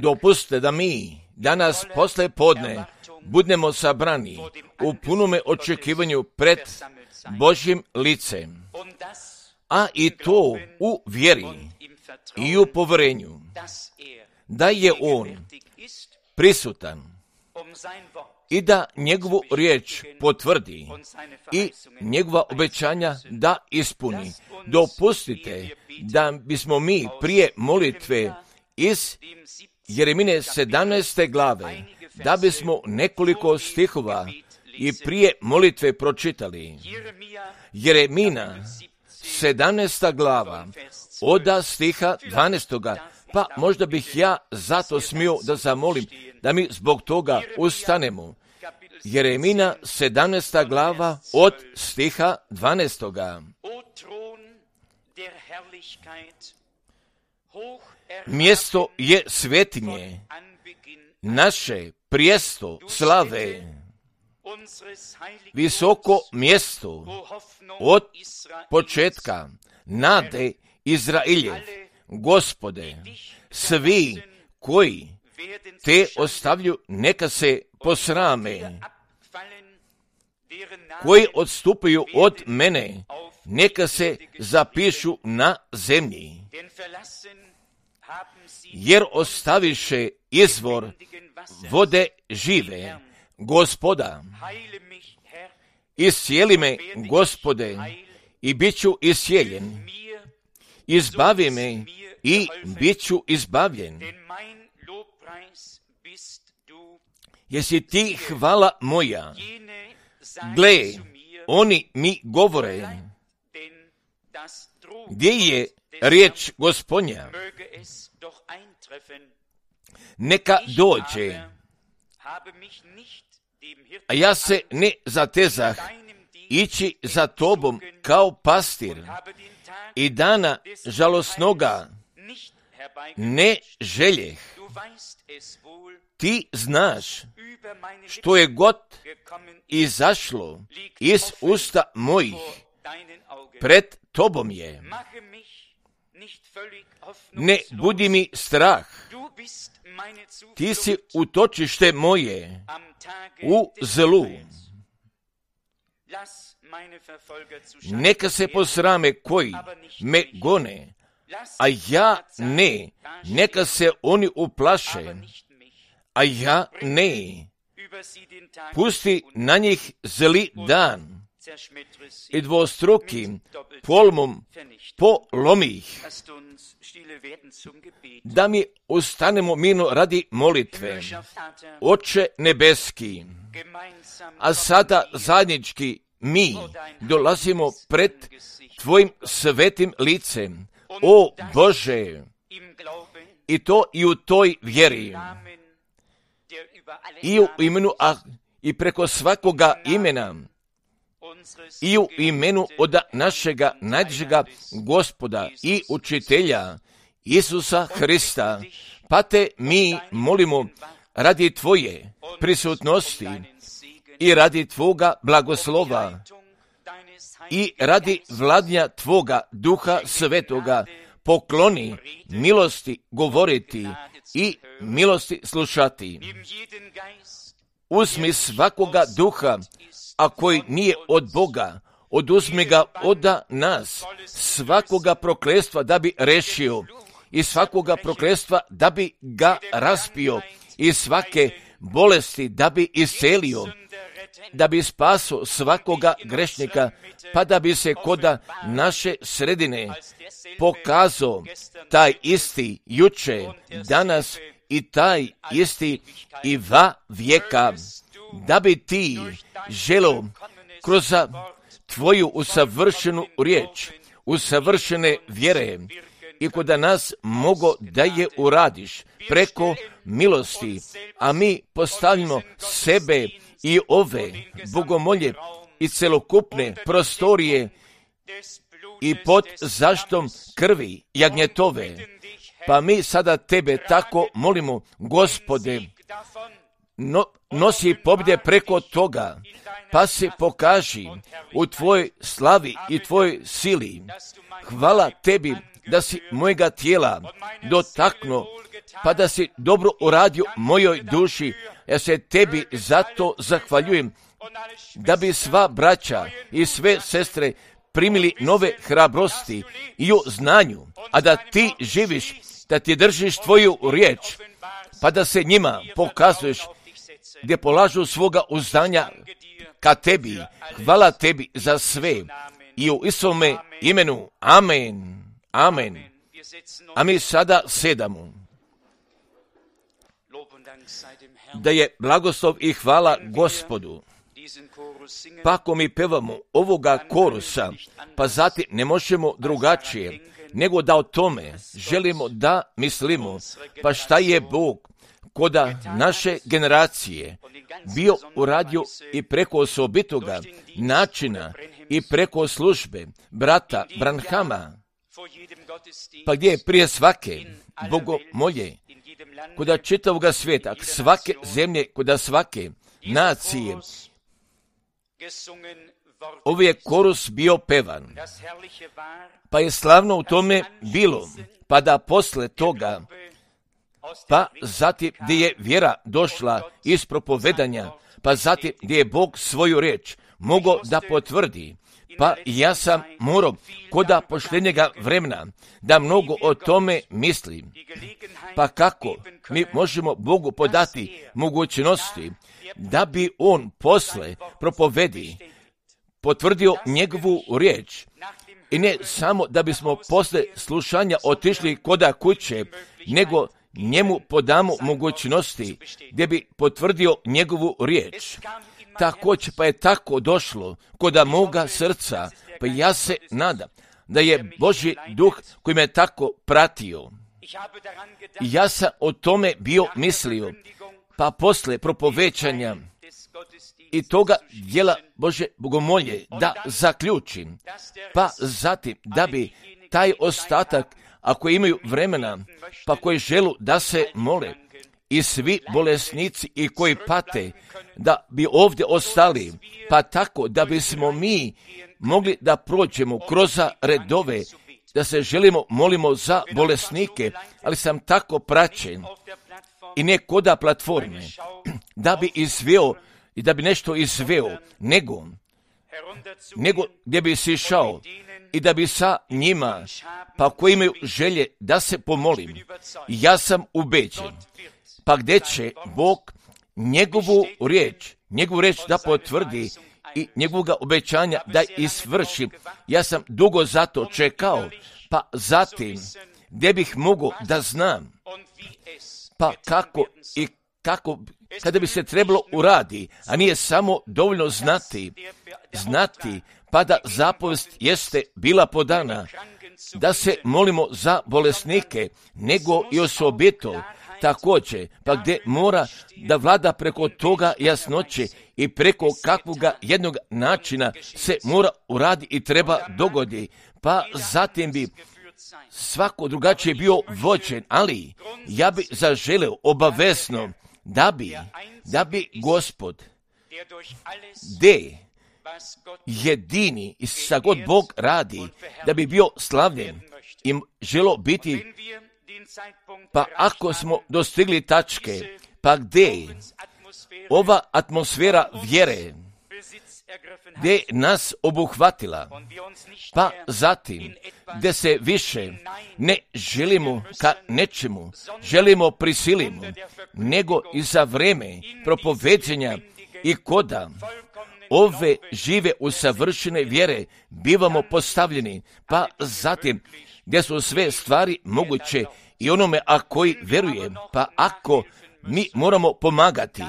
Dopustite da mi danas posle podne budemo sabrani u punome očekivanju pred Božjim licem, a i to u vjeri i u poverenju, da je On prisutan i da njegovu riječ potvrdi i njegova obećanja da ispuni. Dopustite da bismo mi prije molitve iz Jeremine 17. glave, da bismo nekoliko stihova i prije molitve pročitali. Jeremina 17. glava od stiha 12. Pa možda bih ja zato smio da zamolim da mi zbog toga ustanemo. Jeremina 17. glava od stiha 12. Mjesto je svetinje, naše prijesto slave, visoko mjesto od početka nade Izrailjev. Gospode, svi koji te ostavlju neka se posrame, koji odstupaju od mene neka se zapišu na zemlji, jer ostaviše izvor vode žive. Gospoda, iscijeli me, Gospode, i bit ću iscijeljen. Izbavi me i bit ću izbavljen. Jesi ti hvala moja? Gle, oni mi govore, gdje je riječ Gospodnja? Neka dođe, a ja se ne zatezah ići za tobom kao pastir i dana žalosnoga ne željeh. Ti znaš što je god izašlo iz usta mojih, pred tobom je. Ne budi mi strah, ti si utočište moje u zlu. Neka se posrame koji me gone, a ja ne. Neka se oni uplaše, a ja ne. Pusti na njih zli dan i dvostruki polmom polomi ih. Da mi ostanemo mirno radi molitve. Oče nebeski, a sada zajednički mi dolazimo pred tvojim svetim licem. O Bože, i to i u toj vjeri, i u imenu, i preko svakoga imena, i u imenu od našega najdražega Gospoda i učitelja Isusa Hrista, pa te mi molimo radi tvoje prisutnosti i radi tvoga blagoslova i radi vladnja tvoga Duha Svetoga. Pokloni milosti govoriti i milosti slušati. Uzmi svakoga duha, a koji nije od Boga, oduzmi ga od nas, svakoga prokletstva da bi rešio i svakoga prokletstva da bi ga raspio i svake bolesti da bi iscelio, da bi spaso svakoga grešnika, pa da bi se koda naše sredine pokazao taj isti juče, danas i taj isti i va vijeka, da bi ti želo kroz tvoju usavršenu riječ, usavršene vjere i koda nas mogo da je uradiš preko milosti, a mi postavljamo sebe i ove bogomolje i celokupne prostorije i pod zaštom krvi jagnjetove. Pa mi sada tebe tako molimo, Gospode, nosi pobjede preko toga, pa se pokaži u tvojoj slavi i tvojoj sili. Hvala tebi da si mojega tijela dotaknuo, pa da si dobro uradio mojoj duši. Ja se tebi zato zahvaljujem, da bi sva braća i sve sestre primili nove hrabrosti i u znanju, a da ti živiš, da ti držiš tvoju riječ, pa da se njima pokazuješ gdje polažu svoga uzdanja ka tebi. Hvala tebi za sve i u Isovome imenu. Amen. Amen. A mi sada sedamo. Da je blagoslov i hvala Gospodu. Pa ako mi pevamo ovoga korusa, pa zatim ne možemo drugačije, nego da o tome želimo da mislimo, pa šta je Bog koda naše generacije bio uradio i preko osobitoga načina i preko službe brata Branhama, pa gdje je prije svake bogomolje, koda čitavoga svijeta, svake zemlje, koda svake nacije, ovaj je korus bio pevan, pa je slavno u tome bilo, pa da posle toga, pa zatim gdje je vjera došla iz propovedanja, pa zatim gdje je Bog svoju riječ mogao da potvrdi, pa ja sam morao koda pošljenjega vremena da mnogo o tome mislim. Pa kako mi možemo Bogu podati mogućnosti da bi on posle propovedi potvrdio njegovu riječ, i ne samo da bismo posle slušanja otišli koda kuće, nego njemu podamo mogućnosti gdje bi potvrdio njegovu riječ. Također pa je tako došlo koda moga srca, pa ja se nadam da je Božji duh koji me tako pratio. Ja sam o tome bio mislio, pa posle propovećanja i toga dijela Bože bogomolje da zaključim, pa zatim da bi taj ostatak, ako imaju vremena, pa koji želu da se mole, i svi bolesnici i koji pate, da bi ovdje ostali, pa tako da bismo mi mogli da prođemo kroz redove, da se molimo za bolesnike, ali sam tako praćen i ne koda platforme, da bi izveo i da bi nešto izveo, nego gdje bi si išao i da bi sa njima, pa koji imaju želje da se pomolim, ja sam ubeđen, pa gdje će Bog njegovu riječ da potvrdi i njegovoga obećanja da isvrši. Ja sam dugo zato čekao, pa zatim gdje bih mogao da znam, pa kako kada bi se trebalo uradi, a nije samo dovoljno znati, pa da zapovest jeste bila podana, da se molimo za bolesnike, nego i osobito također, pa gdje mora da vlada preko toga jasnoće i preko kakvoga jednog načina se mora uradi i treba dogodi, pa zatim bi svako drugačije bio vođen, ali ja bi zaželeo obavezno da bi Gospod, gdje jedini i sa god Bog radi, da bi bio slavljen i želo biti, pa ako smo dostigli tačke, pa gdje ova atmosfera vjere, gdje nas obuhvatila, pa zatim gdje se više ne želimo ka nečemu, želimo prisilimo, nego i za vreme propoveđenja i koda ove žive usavršene vjere bivamo postavljeni, pa zatim gdje su sve stvari moguće i onome a koji veruje, pa ako mi moramo pomagati,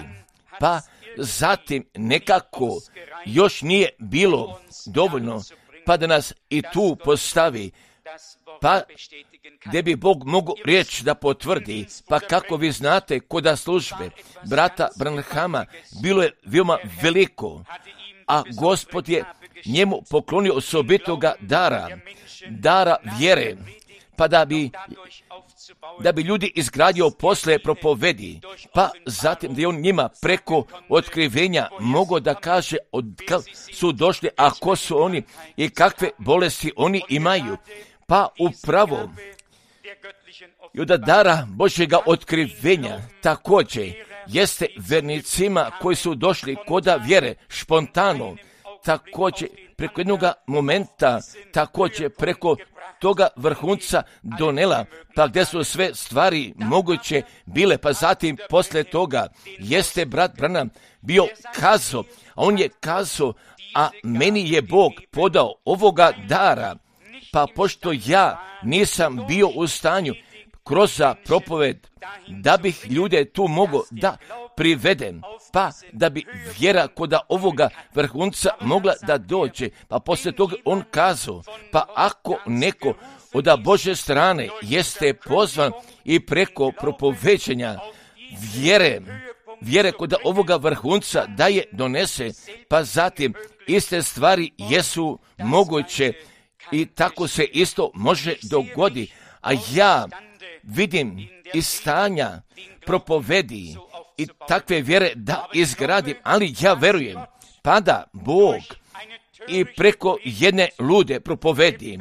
pa zatim nekako još nije bilo dovoljno, pa da nas i tu postavi, pa gdje bi Bog mogu riječ da potvrdi, pa kako vi znate koda službe brata Branhama bilo je veoma veliko, a Gospod je njemu poklonio osobitoga dara vjere, pa da bi ljudi izgradio posle propovedi, pa zatim da je on njima preko otkrivenja mogao da kaže od kad su došli, a ko su oni i kakve bolesti oni imaju, pa upravo i od dara Božjega otkrivenja također jeste vernicima koji su došli koda vjere špontano, također preko jednoga momenta, također preko toga vrhunca donela, pa gdje su sve stvari moguće bile, pa zatim poslije toga jeste brat Branham bio kazao, a on je kazao, a meni je Bog podao ovoga dara, pa pošto ja nisam bio u stanju kroz propoved da bih ljude tu mogao da privedem, pa da bi vjera koda ovoga vrhunca mogla da dođe, pa poslije toga on kazao, pa ako neko od Božje strane jeste pozvan i preko propoveđenja vjere koda ovoga vrhunca da je donese, pa zatim iste stvari jesu moguće i tako se isto može dogodi, a ja vidim iz stanja propovedi i takve vjere da izgradim, ali ja verujem, pa da Bog i preko jedne lude propovedi,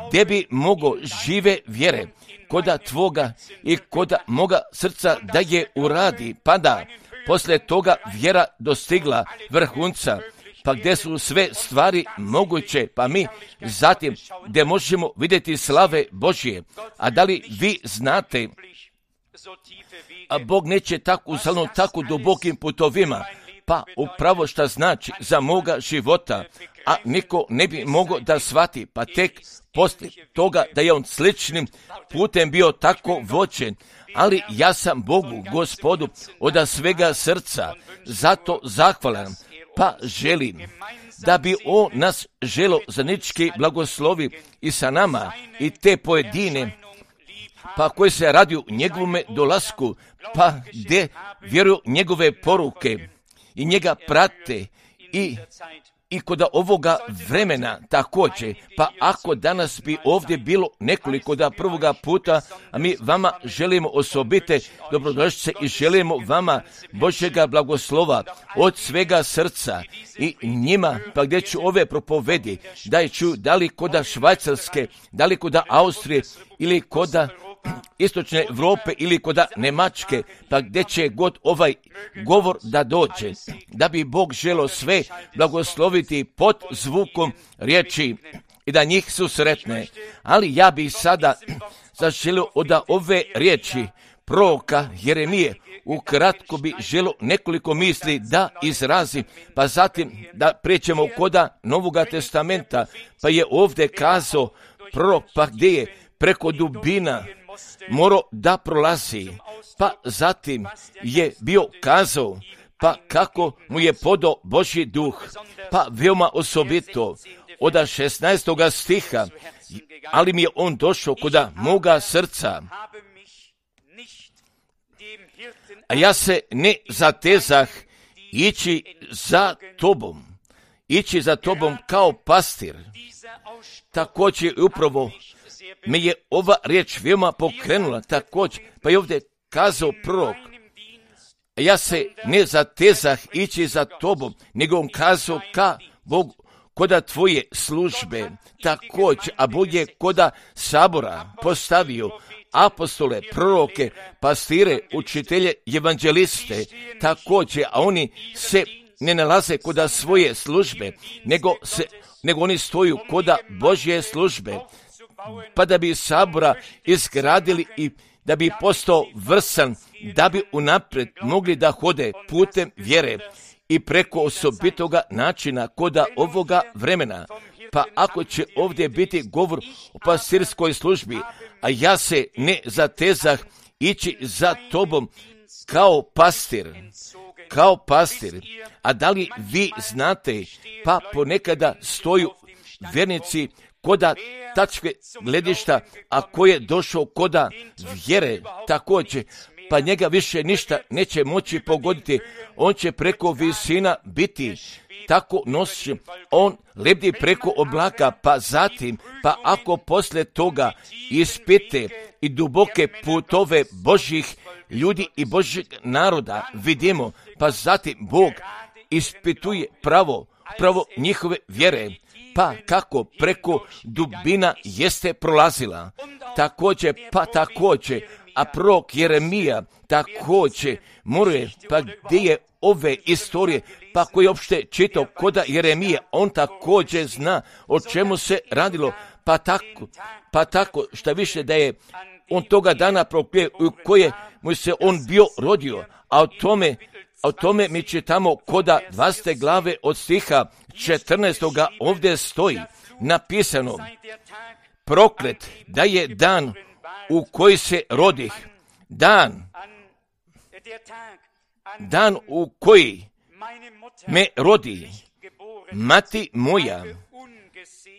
gdje bi mogo žive vjere koda tvoga i koda moga srca da je uradi, pa da poslije toga vjera dostigla vrhunca, pa gdje su sve stvari moguće, pa mi zatim gdje možemo vidjeti slave Božje. A da li vi znate, a Bog neće tako dubokim putovima, pa upravo šta znači za moga života, a niko ne bi mogao da shvati, pa tek poslije toga da je on sličnim putem bio tako vođen, ali ja sam Bogu, Gospodu, od svega srca zato zahvalan, pa želim da bi on nas želo zajednički blagoslovi i sa nama i te pojedine, pa koji se radi u njegovome dolasku, pa gdje vjeruju njegove poruke i njega prate i kod ovoga vremena također, pa ako danas bi ovdje bilo nekoliko da prvoga puta, a mi vama želimo osobite dobrodošlice i želimo vama Božjega blagoslova od svega srca i njima, pa gdje ću ove propovedi, da ću da li koda Švajcarske, da li koda Austrije ili koda istočne Europe ili koda Njemačke, pa gdje će god ovaj govor da dođe, da bi Bog želo sve blagosloviti pod zvukom riječi i da njih susretne. Ali ja bih sada zaželio od ove riječi proroka Jeremije ukratko bi želo nekoliko misli da izrazim, pa zatim da pređemo koda Novoga testamenta, pa je ovdje kazao prorok, pa gdje je preko dubina morao da prolazi, pa zatim je bio kazao, pa kako mu je podao Božji duh, pa veoma osobito od 16. stiha, ali mi je on došao koda moga srca, a ja se ne zatezah ići za tobom kao pastir. Također upravo me je ova riječ veoma pokrenula, također, pa je ovdje kazao prorok, ja se ne zatezah ići za tobom, nego on kazao ka Bogu, koda tvoje službe, također, a Bog je koda sabora postavio apostole, proroke, pastire, učitelje, evanđeliste, također, a oni se ne nalaze koda svoje službe, nego oni stoju koda Božje službe, pa da bi sabora izgradili i da bi postao vrsan, da bi unaprijed mogli da hode putem vjere i preko osobitoga načina koda ovoga vremena. Pa ako će ovdje biti govor o pastirskoj službi, a ja se ne zatezah ići za tobom kao pastir, a da li vi znate, pa ponekada stoju vjernici koda tačke gledišta, a ko je došao koda vjere također, pa njega više ništa neće moći pogoditi, on će preko visina biti tako nosi, on lebdi preko oblaka, pa zatim, pa ako poslije toga ispite i duboke putove Božjih ljudi i Božjeg naroda vidimo, pa zatim Bog ispituje pravo njihove vjere, pa kako preko dubina jeste prolazila. Također, a prorok Jeremija također moruje, pa gdje je ove istorije, pa koji je opšte čitao koda Jeremija, on također zna o čemu se radilo, pa tako šta više da je on toga dana proklije u koje mu se on bio rodio, a o tome mi čitamo koda 20. glave od stiha 14. ovdje stoji napisano: proklet da je dan u koji se rodih, dan u koji me rodi mati moja,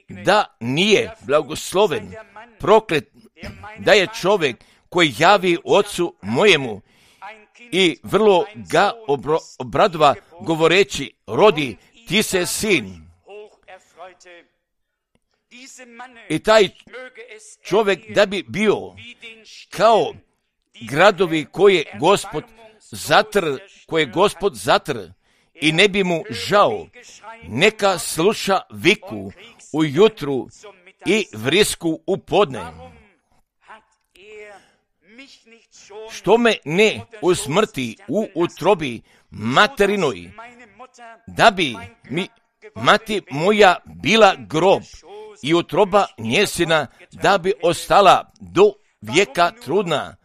da nije blagosloven, proklet da je čovjek koji javi ocu mojemu i vrlo ga obradova govoreći: rodi ti se sin. I taj čovjek da bi bio kao gradovi koje je Gospod zatr i ne bi mu žao, neka sluša viku ujutru i vrisku u podne. Što me ne usmrti u utrobi materinoj, da bi mi mati moja bila grob i utroba njezina da bi ostala do vijeka trudna.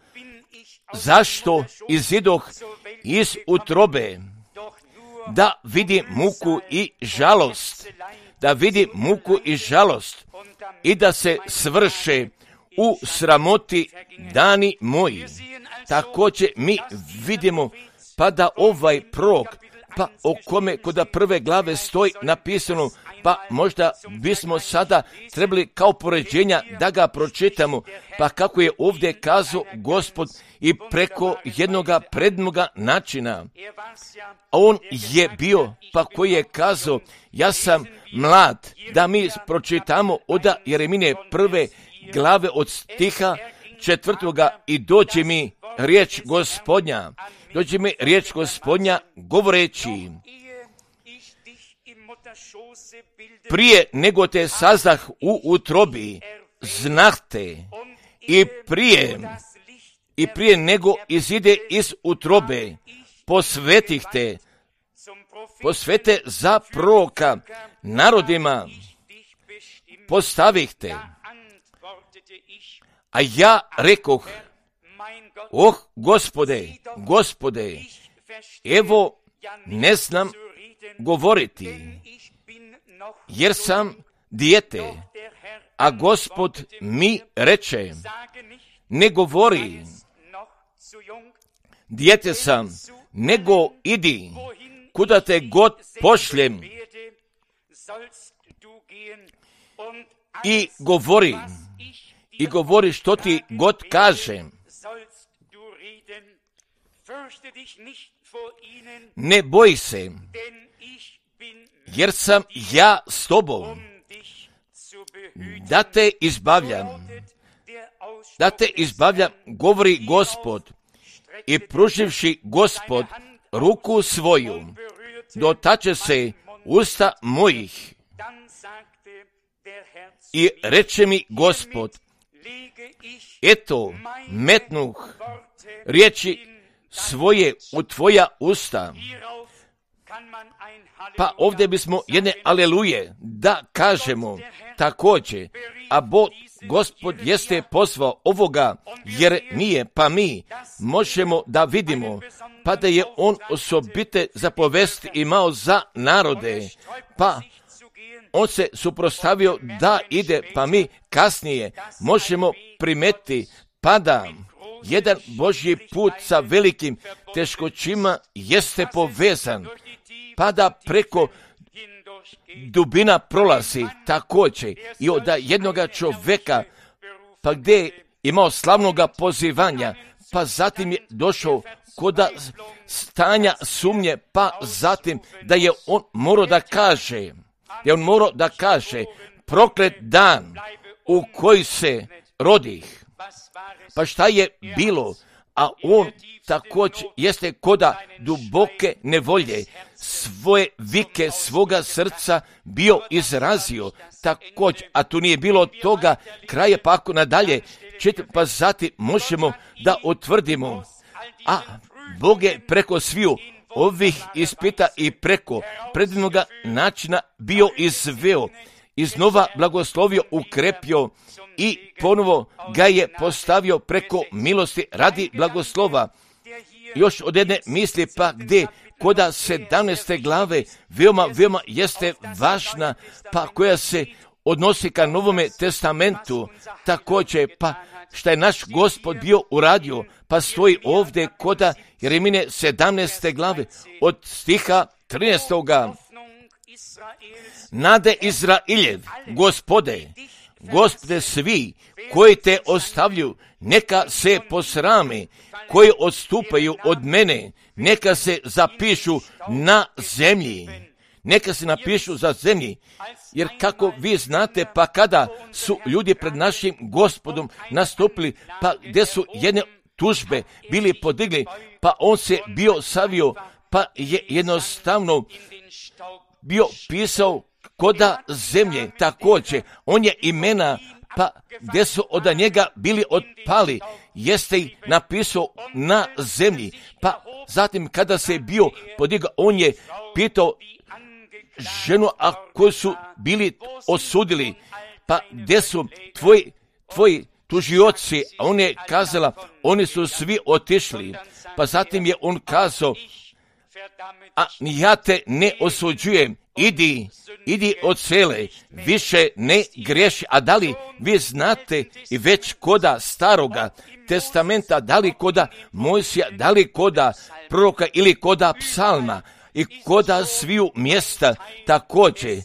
Zašto izidoh iz utrobe? Da vidim muku i žalost, i da se svrše u sramoti dani moji. Također mi vidimo pa da ovaj prorok, pa o kome koda prve glave stoji napisano, pa možda bismo sada trebali kao poređenja da ga pročitamo, pa kako je ovdje kazao Gospod i preko jednoga prednoga načina. A on je bio, pa koji je kazao: ja sam mlad, da mi pročitamo od Jeremine prve glave od stiha 4. i dođe mi riječ Gospodnja govoreći: prije nego te sazdah u utrobi, znahte, i prije nego izide iz utrobe, posvete za proroka narodima, postavih te. A ja rekoh: Gospode, evo ne znam govoriti, jer sam dijete. A Gospod mi reče: ne govori, dijete sam, nego idi, kuda te god pošljem, i govori što ti god kažem. Ne boj se, jer sam ja s tobom, da te izbavljam, govori Gospod. I pruživši Gospod ruku svoju, dotače se usta mojih. I reče mi Gospod: eto, metnuh riječi svoje u tvoja usta. Pa ovdje bismo jedne aleluje da kažemo također, a Gospod jeste pozvao ovoga Jeremije, pa mi možemo da vidimo, pa da je on osobite zapovesti imao za narode, pa on se suprotstavio da ide, pa mi kasnije možemo primetiti, pa da jedan Božji put sa velikim teškoćima jeste povezan, pa da preko dubina prolazi također i od jednoga čovjeka, pa gdje je imao slavnoga pozivanja, pa zatim je došao kod stanja sumnje, pa zatim da je on morao da kaže, proklet dan u koji se rodih. Pa šta je bilo? a on također jeste koda duboke nevolje, svoje vike svoga srca bio izrazio također, a tu nije bilo toga kraja, pa ako nadalje pa zatim možemo da utvrdimo, a Bog je preko sviju ovih ispita i preko predivnoga načina bio izveo, iznova blagoslovio, ukrepio i ponovo ga je postavio preko milosti radi blagoslova. Još od jedne misli pa gdje koda 17. glave veoma jeste važna, pa koja se odnosi ka Novome testamentu, također pa šta je naš Gospod bio uradio, pa stoji ovdje koda Jeremine 17. glave od stiha 13. Nade Izrailjev, Gospode svi koji te ostavlju, neka se posrame, koji odstupaju od mene, neka se zapišu na zemlji. Neka se napišu za zemlji, jer kako vi znate, pa kada su ljudi pred našim Gospodom nastupili, pa gdje su jedne tužbe bili podigli, pa on se bio savio, pa je jednostavno bio pisao koda zemlje, također, on je imena, pa gdje su od njega bili otpali, jeste ih napisao na zemlji, pa zatim kada se bio podigao, on je pitao ženu, a koji su bili osudili, pa gdje su tvoji tužioci, a on je kazala, oni su svi otišli, pa zatim je on kazao, a ja te ne osuđujem, idi od sele, više ne griješi. A da li vi znate i već koda Staroga testamenta, da li koda Mojsija, da li koda proroka ili koda psalma i koda sviju mjesta također,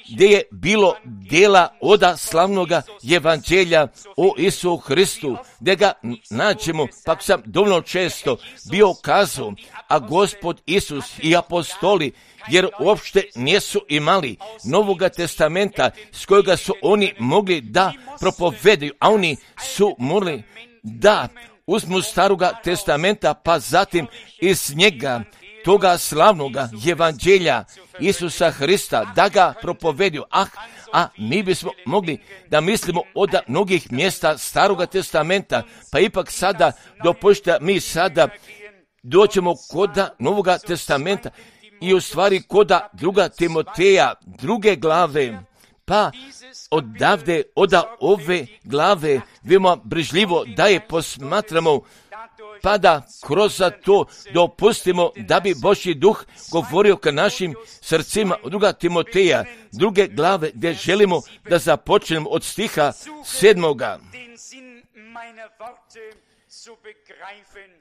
gdje je bilo djela oda slavnoga evanđelja o Isu Hristu, gdje ga nađemo, pa sam dovoljno često bio kazao, a Gospod Isus i apostoli, jer uopšte nisu imali Novoga testamenta s kojega su oni mogli da propovedaju, a oni su morali da uzmu Staroga testamenta, pa zatim iz njega toga slavnoga evanđelja Isusa Hrista da ga propovediju. A mi bismo mogli da mislimo od mnogih mjesta Staroga testamenta, pa ipak sada dopušta mi sada doćemo koda Novoga testamenta i u stvari koda 2. Timoteja 2. glave, pa odavde, od ove glave, veoma brižljivo da je posmatramo, pa da kroz to dopustimo da bi Božji duh govorio ka našim srcima. 2. Timoteja 2. glave, gdje želimo da započnemo od stiha 7.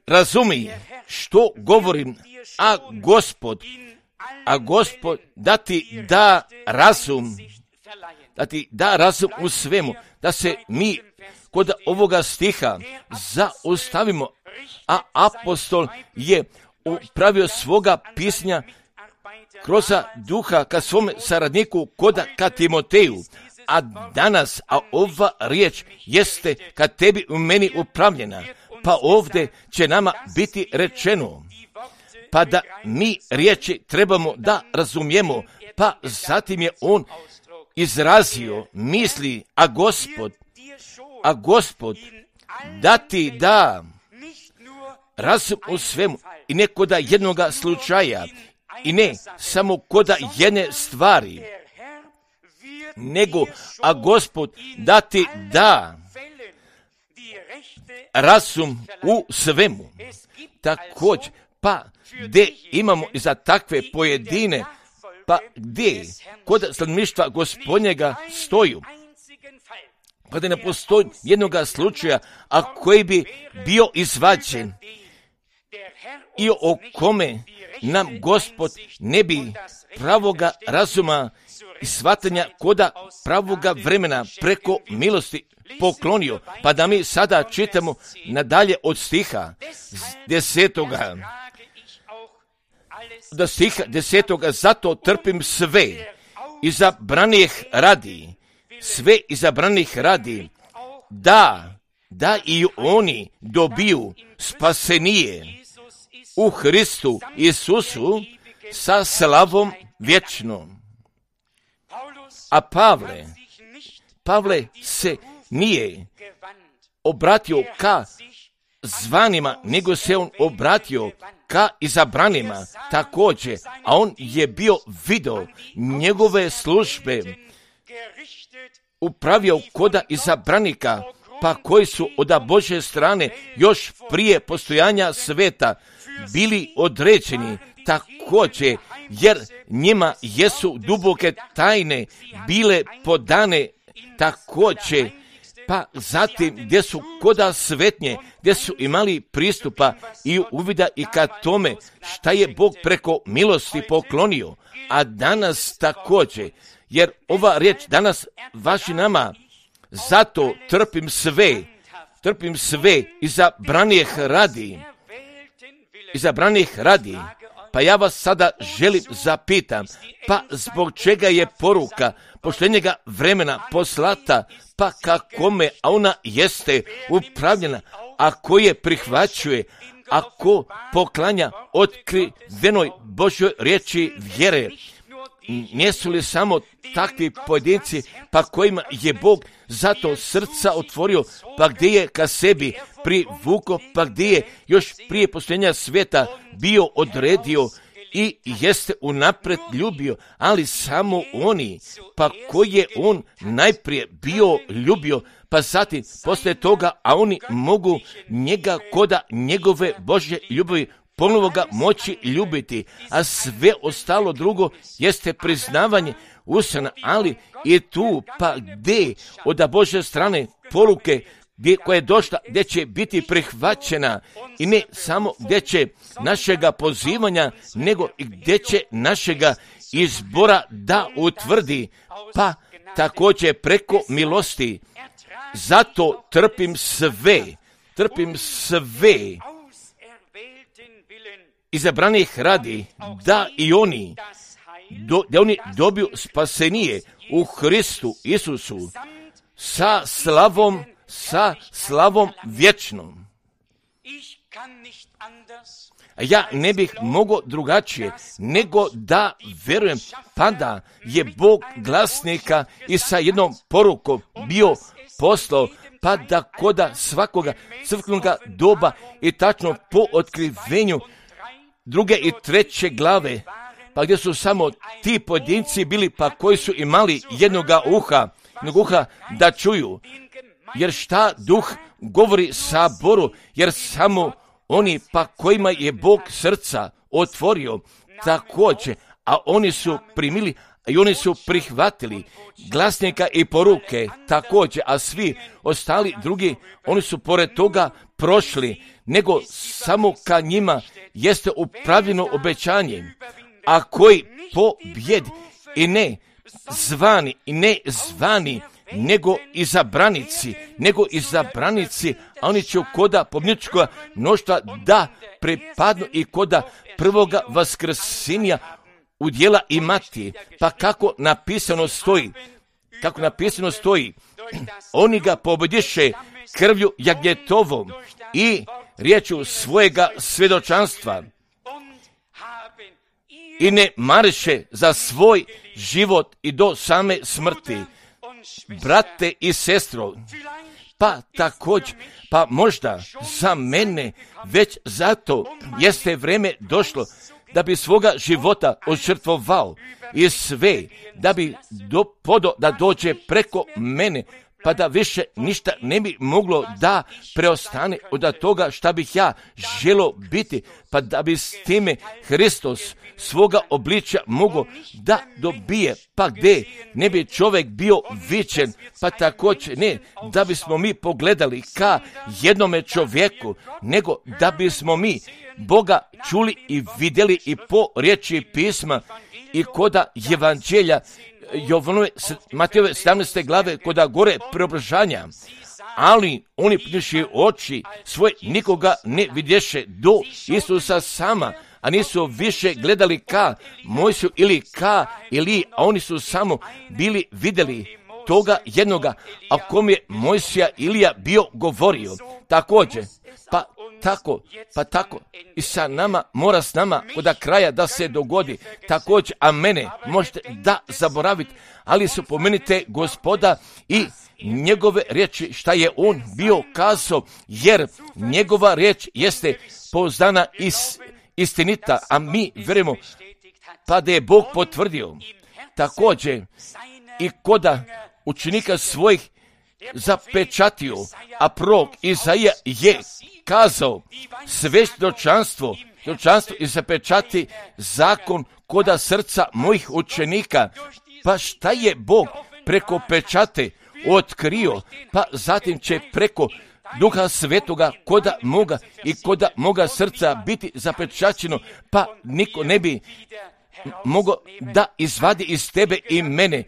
Razumi što govorim, a Gospod da ti da razum u svemu, da se mi kod ovoga stiha zaustavimo, a apostol je upravio svoga pisnja kroz duha ka svom saradniku ka Timoteju, a danas, ova riječ jeste ka tebi u meni upravljena, pa ovdje će nama biti rečeno, pa da mi riječi trebamo da razumijemo, pa zatim je on izrazio misli, a Gospod da ti da razum u svemu, i ne koda jednoga slučaja, i ne samo koda jedne stvari, nego, a Gospod da ti da razum u svemu. Također, pa gdje imamo i za takve pojedine, pa gdje kod stanovništva Gospodnjega stoju, pa da ne postoji jednoga slučaja, a koji bi bio izvađen i o kome nam Gospod ne bi pravoga razuma i shvatanja koda pravoga vremena preko milosti poklonio. Pa da mi sada čitamo nadalje od stiha 10. Do stiha 10. Zato trpim sve izabranih radi, da da i oni dobiju spasenije u Hristu Isusu sa slavom vječnom. A Pavle se nije obratio ka zvanima, nego se on obratio ka izabranima također, a on je bio video njegove službe upravio koda izabranika, pa koji su od Božje strane još prije postojanja sveta bili određeni također, jer njima jesu duboke tajne bile podane također, pa zatim gdje su koda svetnje, gdje su imali pristupa i uvida i ka tome šta je Bog preko milosti poklonio, a danas također, jer ova riječ danas važi nama, zato trpim sve izabranih radi. Pa ja vas sada želim zapitam, pa zbog čega je poruka poštenjega vremena poslata, pa kakome, a ona jeste upravljena, ako je prihvaćuje, ako poklanja otkrivenoj Božjoj riječi vjere. Nisu li samo takvi pojedinci, pa kojima je Bog zato srca otvorio, pa gdje je ka sebi privukao, pa gdje je još prije postojanja svijeta bio odredio i jeste unaprijed ljubio, ali samo oni, pa koji je on najprije bio ljubio, pa zatim poslije toga, a oni mogu njega koda njegove Božje ljubavi ponovo ga moći ljubiti, a sve ostalo drugo jeste priznavanje usana, ali i tu pa gdje od Božje strane poruke koja je došla, gdje će biti prihvaćena i ne samo gdje će našega pozivanja, nego i gdje će našega izbora da utvrdi, pa također preko milosti. Zato trpim sve izabranih radi, da i oni dobiju spasenije u Hristu Isusu sa slavom vječnom. Ja ne bih mogao drugačije nego da verujem, pa da je Bog glasnika i sa jednom porukom bio poslao, pa da koda svakoga crkvenoga doba i tačno po otkrivenju 2. i 3. glave, pa gdje su samo ti pojedinci bili, pa koji su imali jednog uha da čuju. Jer šta duh govori saboru, jer samo oni pa kojima je Bog srca otvorio također, a oni su primili i oni su prihvatili glasnika i poruke također, a svi ostali drugi, oni su pored toga prošli, nego samo ka njima jeste upravljeno obećanje, a koji pobjed i ne zvani, nego izabranici, a oni će koda pobjedničkoga mnoštva da pripadnu i koda prvoga vaskrsenja udjela imati. Pa kako napisano stoji, oni ga pobjediše krvlju jagnjetovom i riječu svojega svjedočanstva i ne mariše za svoj život i do same smrti. Brate i sestro, pa također, pa možda za mene već zato jeste vrijeme došlo da bi svoga života odžrtvovao i sve, da bi da dođe preko mene, pa da više ništa ne bi moglo da preostane od toga šta bih ja želio biti, pa da bi s time Hristos svoga obličja mogao da dobije, pa gdje ne bi čovjek bio vičen, pa također ne da bismo mi pogledali ka jednome čovjeku, nego da bismo mi Boga čuli i vidjeli i po riječi pisma i koda evanđelja Matejove 17. glave koda gore preobražanja, ali oni pniši oči svoje nikoga ne vidješe do Isusa sama, a nisu više gledali ka Mojsiju ili ka Iliji, a oni su samo bili vidjeli toga jednoga, o kom je Mojsija Ilija bio govorio. Također, pa tako i sa nama, mora s nama od kraja da se dogodi. Također, a mene možete da zaboraviti, ali spomenite Gospoda i njegove riječi šta je on bio kazao, jer njegova riječ jeste pouzdana i istinita, a mi vjerujemo pa da je Bog potvrdio. Također i koda učenika svojih zapečatio, a prorok Izaija je kazao svjedočanstvo i zapečati zakon koda srca mojih učenika. Pa šta je Bog preko pečate otkrio, pa zatim će preko Duha Svetoga koda moga srca biti zapečaćeno, pa niko ne bi mogao da izvadi iz tebe i mene.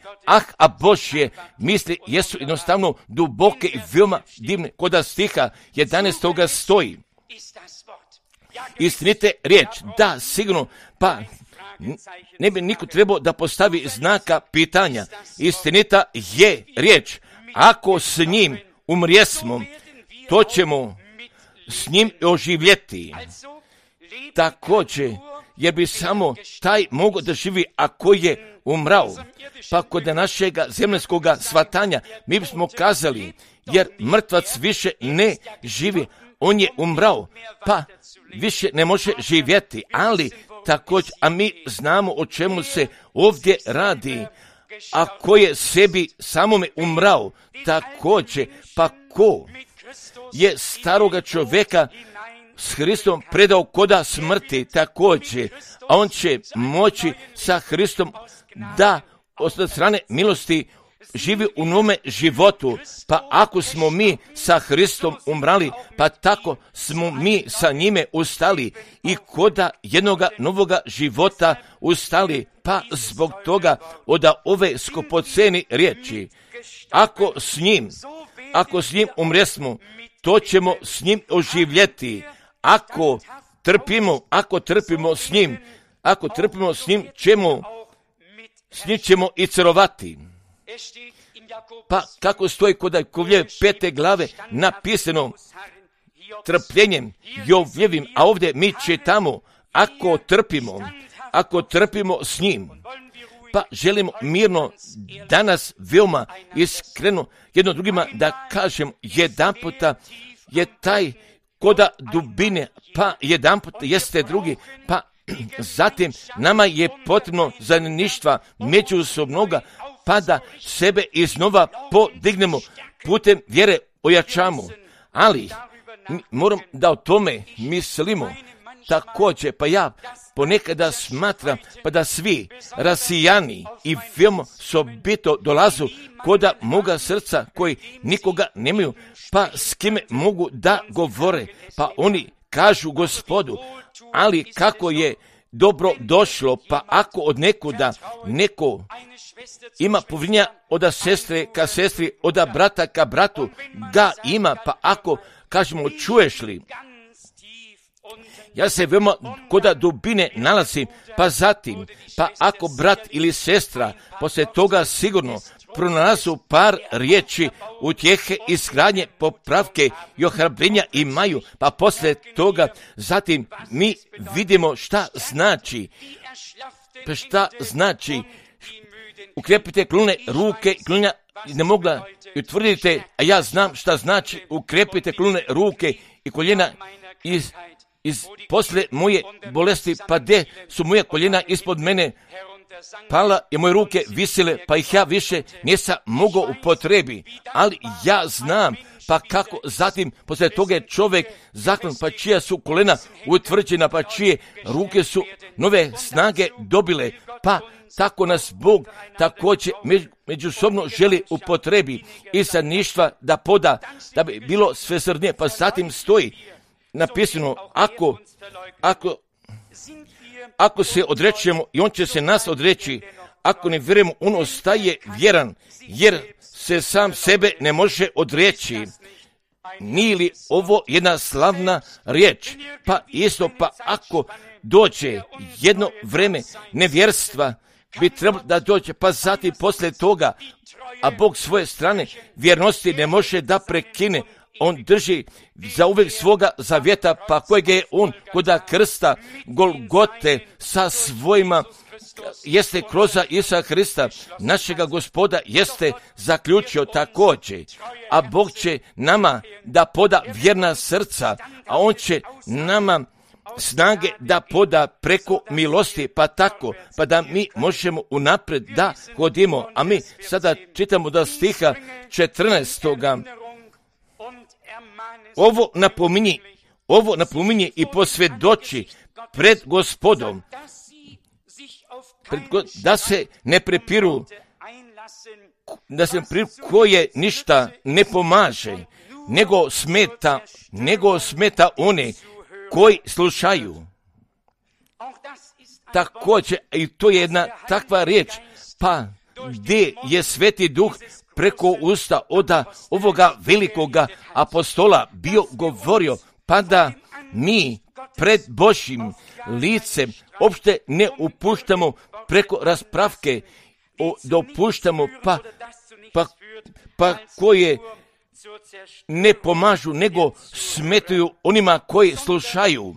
A Božje misli jesu jednostavno duboke i veoma divne. Koda stiha 11. stoji. Istinite riječ, da, sigurno, pa ne bi niko trebao da postavi znaka pitanja. Istinita je riječ. Ako s njim umrijesmo, to ćemo s njim oživjeti. Također, jer bi samo taj mogao da živi ako je umrao. Pa kod našega zemljskoga svatanja mi bismo kazali, jer mrtvac više ne živi, on je umrao, pa više ne može živjeti. Ali također, a mi znamo o čemu se ovdje radi. Ako je sebi samome umrao, također, pa ko je staroga čovjeka s Hristom predao koda smrti, također, a on će moći sa Hristom da od strane milosti živi u nome životu. Pa ako smo mi sa Hristom umrali, pa tako smo mi sa njime ustali i koda jednoga novoga života ustali. Pa zbog toga od ove skupoceni riječi, ako s njim umresmo, to ćemo s njim oživjeti. Ako trpimo s njim, s njim ćemo i carovati. Pa kako stoji kod Jakovljeve 5. glave napisano trpljenjem Jovljevim, a ovdje mi čitamo ako trpimo s njim. Pa želimo mirno danas veoma iskreno jedno drugima da kažem, jedanputa je taj koda dubine, pa jedanputa jeste drugi, pa zatim nama je potrebno zajedništva međusobnoga, pa da sebe iznova podignemo putem vjere ojačamo. Ali moram da o tome mislimo. Također, pa ja ponekada smatram pa da svi rasijani i veoma sobito dolazu koda moga srca koji nikoga nemaju, pa s kime mogu da govore, pa oni kažu Gospodu, ali kako je dobro došlo, pa ako od nekuda neko ima povjerenja od sestre ka sestri, od brata ka bratu, ga ima, pa ako kažemo čuješ li, ja se veoma koda dubine nalazim, pa zatim, pa ako brat ili sestra poslije toga sigurno pronalazu par riječi utjehe, izgradnje, popravke i ohrabrenja imaju, pa poslije toga zatim mi vidimo šta znači ukrepite klune ruke i klunja ne mogla i utvrdite, a ja znam šta znači ukrepite klune ruke i koljena poslije moje bolesti, pa gdje su moje koljena ispod mene pala i moje ruke visile, pa ih ja više nisam mogao upotrebi, ali ja znam, pa kako zatim poslije toga je čovjek zaklon, pa čija su kolena utvrđena, pa čije ruke su nove snage dobile, pa tako nas Bog također međusobno želi upotrebi i zajedništva da poda, da bi bilo svesrdnije, pa zatim stoji napisano, ako se odrećemo i on će se nas odreći, ako ne vjerujemo, on ostaje vjeran, jer se sam sebe ne može odreći. Nije li ovo jedna slavna riječ? Pa isto, pa ako dođe jedno vreme nevjerstva, bi trebalo da dođe, pa zatim poslije toga, a Bog svoje strane vjernosti ne može da prekine. On drži za uvijek svoga zavjeta, pa kojeg je on koda krsta Golgote sa svojima, jeste kroz Isusa Hrista, našega Gospoda, jeste zaključio također. A Bog će nama da poda vjerna srca, a on će nama snage da poda preko milosti, pa tako, pa da mi možemo unaprijed da hodimo. A mi sada čitamo da stiha 14. Ovo napominje i posvjedoči pred Gospodom, da se ne prepiru, koje ništa ne pomaže, nego smeta one koji slušaju. Također, i to je jedna takva riječ, pa gdje je Sveti Duh preko usta od ovoga velikoga apostola bio govorio, pa da mi pred Božjim licem uopšte ne upuštamo preko raspravke, dopuštamo pa koje ne pomažu, nego smetaju onima koji slušaju,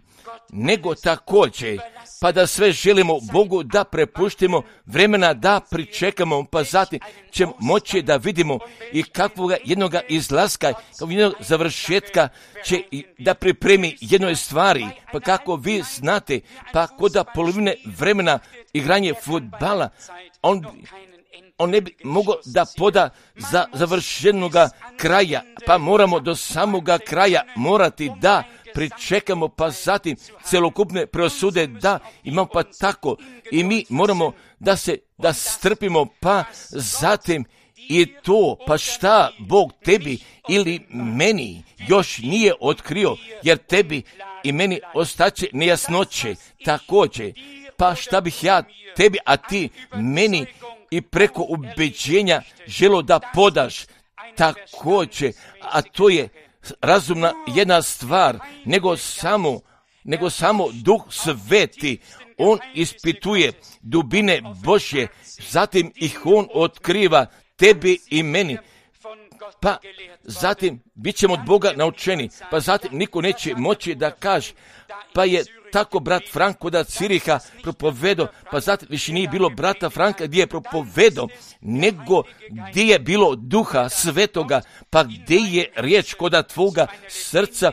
nego također, pa da sve želimo Bogu da prepuštimo vremena, da pričekamo, pa zatim ćemo moći da vidimo i kakvog jednoga izlaska, kao jednog završetka će da pripremi jednoj stvari, pa kako vi znate, pa koda polovine vremena igranje fudbala, on ne bi mogao da poda za završenoga kraja, pa moramo do samoga kraja morati da pričekamo, pa zatim celokupne preosude da imamo, pa tako i mi moramo da strpimo, pa zatim i to, pa šta Bog tebi ili meni još nije otkrio, jer tebi i meni ostaće nejasnoće također, pa šta bih ja tebi, a ti meni i preko ubeđenja želo da podaš također, a to je razumna jedna stvar, nego samo Duh Sveti, on ispituje dubine Božje, zatim ih on otkriva tebi i meni, pa zatim bit ćemo od Boga naučeni, pa zatim niko neće moći da kaže, pa je tako brat Franko da Ciriha propovedao, pa zatim više nije bilo brata Franka gdje je propovedao, nego gdje je bilo Duha Svetoga, pa gdje je riječ koda tvoga srca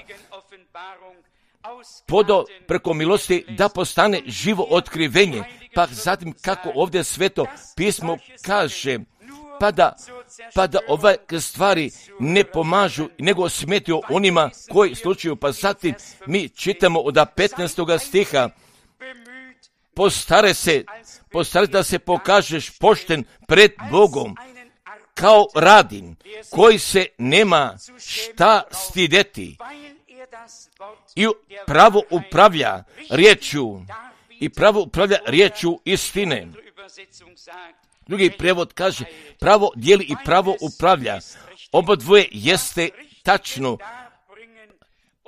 podao preko milosti da postane živo otkrivenje, pa zatim kako ovdje Sveto pismo kaže, pa da ove stvari ne pomažu, nego smetaju onima koji slučaju, pa zatim mi čitamo od 15. stiha, postare da se pokažeš pošten pred Bogom, kao radin, koji se nema šta stideti, i pravo upravlja riječju istine. Drugi prevod kaže, pravo dijeli i pravo upravlja. Obodvoje jeste tačno.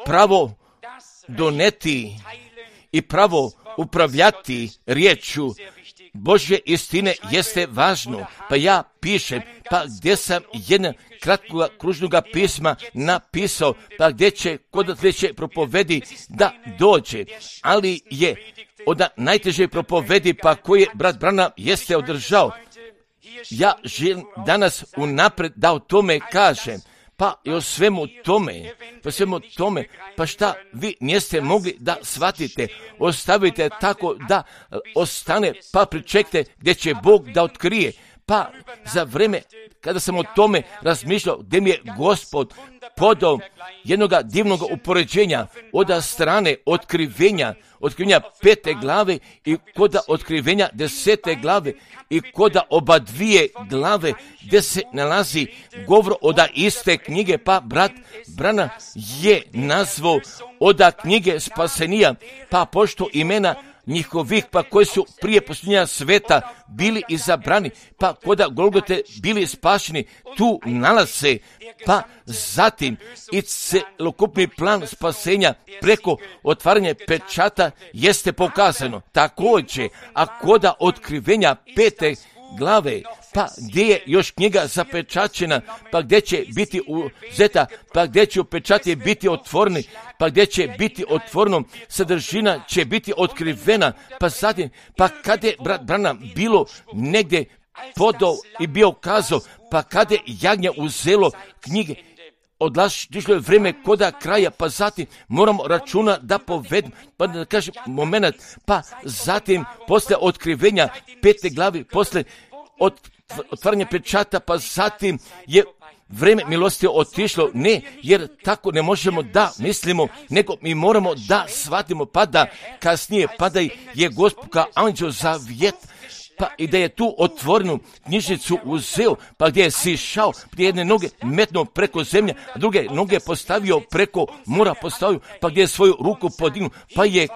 Pravo doneti i pravo upravljati riječju Božje istine jeste važno. Pa ja pišem, pa gdje sam jedna kratkog kružnog pisma napisao, pa gdje će propovedi da dođe, ali je od najteže propovedi, pa koje brat Branham jeste održao. Ja želim danas unaprijed da o tome kažem, pa i o svemu tome, pa šta vi niste mogli da shvatite, ostavite tako da ostane, pa pričekajte gdje će Bog da otkrije. Pa za vreme kada sam o tome razmišljao, gdje mi je Gospod podao jednoga divnog upoređenja od strane otkrivenja 5. glave i koda otkrivenja 10. glave i koda oba dvije glave gdje se nalazi govor od iste knjige, pa brat Branham je nazvao od knjige spasenija, pa pošto imena njihovih, pa koji su prije posljednja sveta bili izabrani, pa koda Golgote bili spašeni, tu nalaze, pa zatim i celokupni plan spasenja preko otvaranja pečata jeste pokazano. Također, a koda otkrivenja 5. glave, pa gdje je još knjiga zapečaćena, pa gdje će biti uzeta, pa gdje će pečati biti otvoreni, pa gdje će biti otvoreno, sadržina će biti otkrivena, pa zatim, pa kada je brat Branham bilo negdje podao i bio kazao, pa kada je jagnje uzelo knjige, odlašlo je vrijeme koda kraja, pa zatim moramo računa da povedem, pa da kažem moment, pa zatim posle otkrivenja 5. glavi, posle otvaranja pečata, pa zatim je vrijeme milosti otišlo, ne, jer tako ne možemo da mislimo, nego mi moramo da shvatimo, pa da kasnije, pa da je Gospod kao anđeo zavjet, pa i da je tu otvorenu knjižnicu uzeo, pa gdje je sišao, gdje jedne noge metnuo preko zemlje, a druge noge postavio preko mora postavio, pa gdje je svoju ruku podignuo, pa je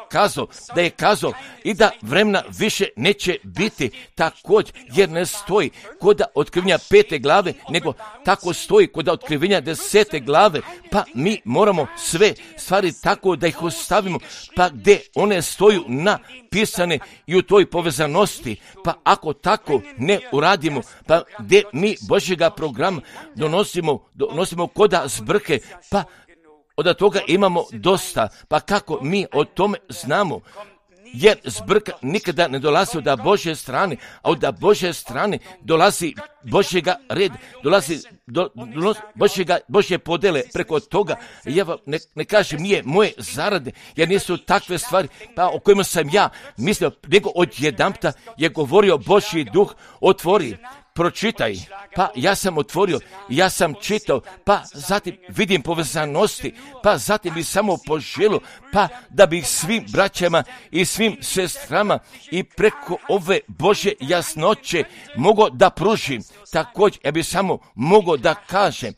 kazao i da vremena više neće biti također, jer ne stoji kod otkrivenja 5. glave, nego tako stoji kod otkrivenja 10. glave, pa mi moramo sve stvari tako da ih ostavimo, pa gdje one stoju napisane i u toj povezanosti, pa ako tako ne uradimo, pa gdje mi Božjega programa donosimo koda zbrke, pa od toga imamo dosta, pa kako mi o tome znamo? Jer zbrka nikada ne dolazi od Božje strane, a od Božje strane dolazi Božjega red, dolazi Božje podele preko toga. Ja vam ne kažem, nije moje zarade, jer nisu takve stvari pa o kojima sam ja mislio, nego odjedanputa je govorio Božji duh, otvori, pročitaj, pa ja sam otvorio, ja sam čitao, pa zatim vidim povezanosti, pa zatim bi samo poželio, pa da bih svim braćama i svim sestrama i preko ove Božje jasnoće mogao da pružim. Također, ja bih samo mogao da kažem,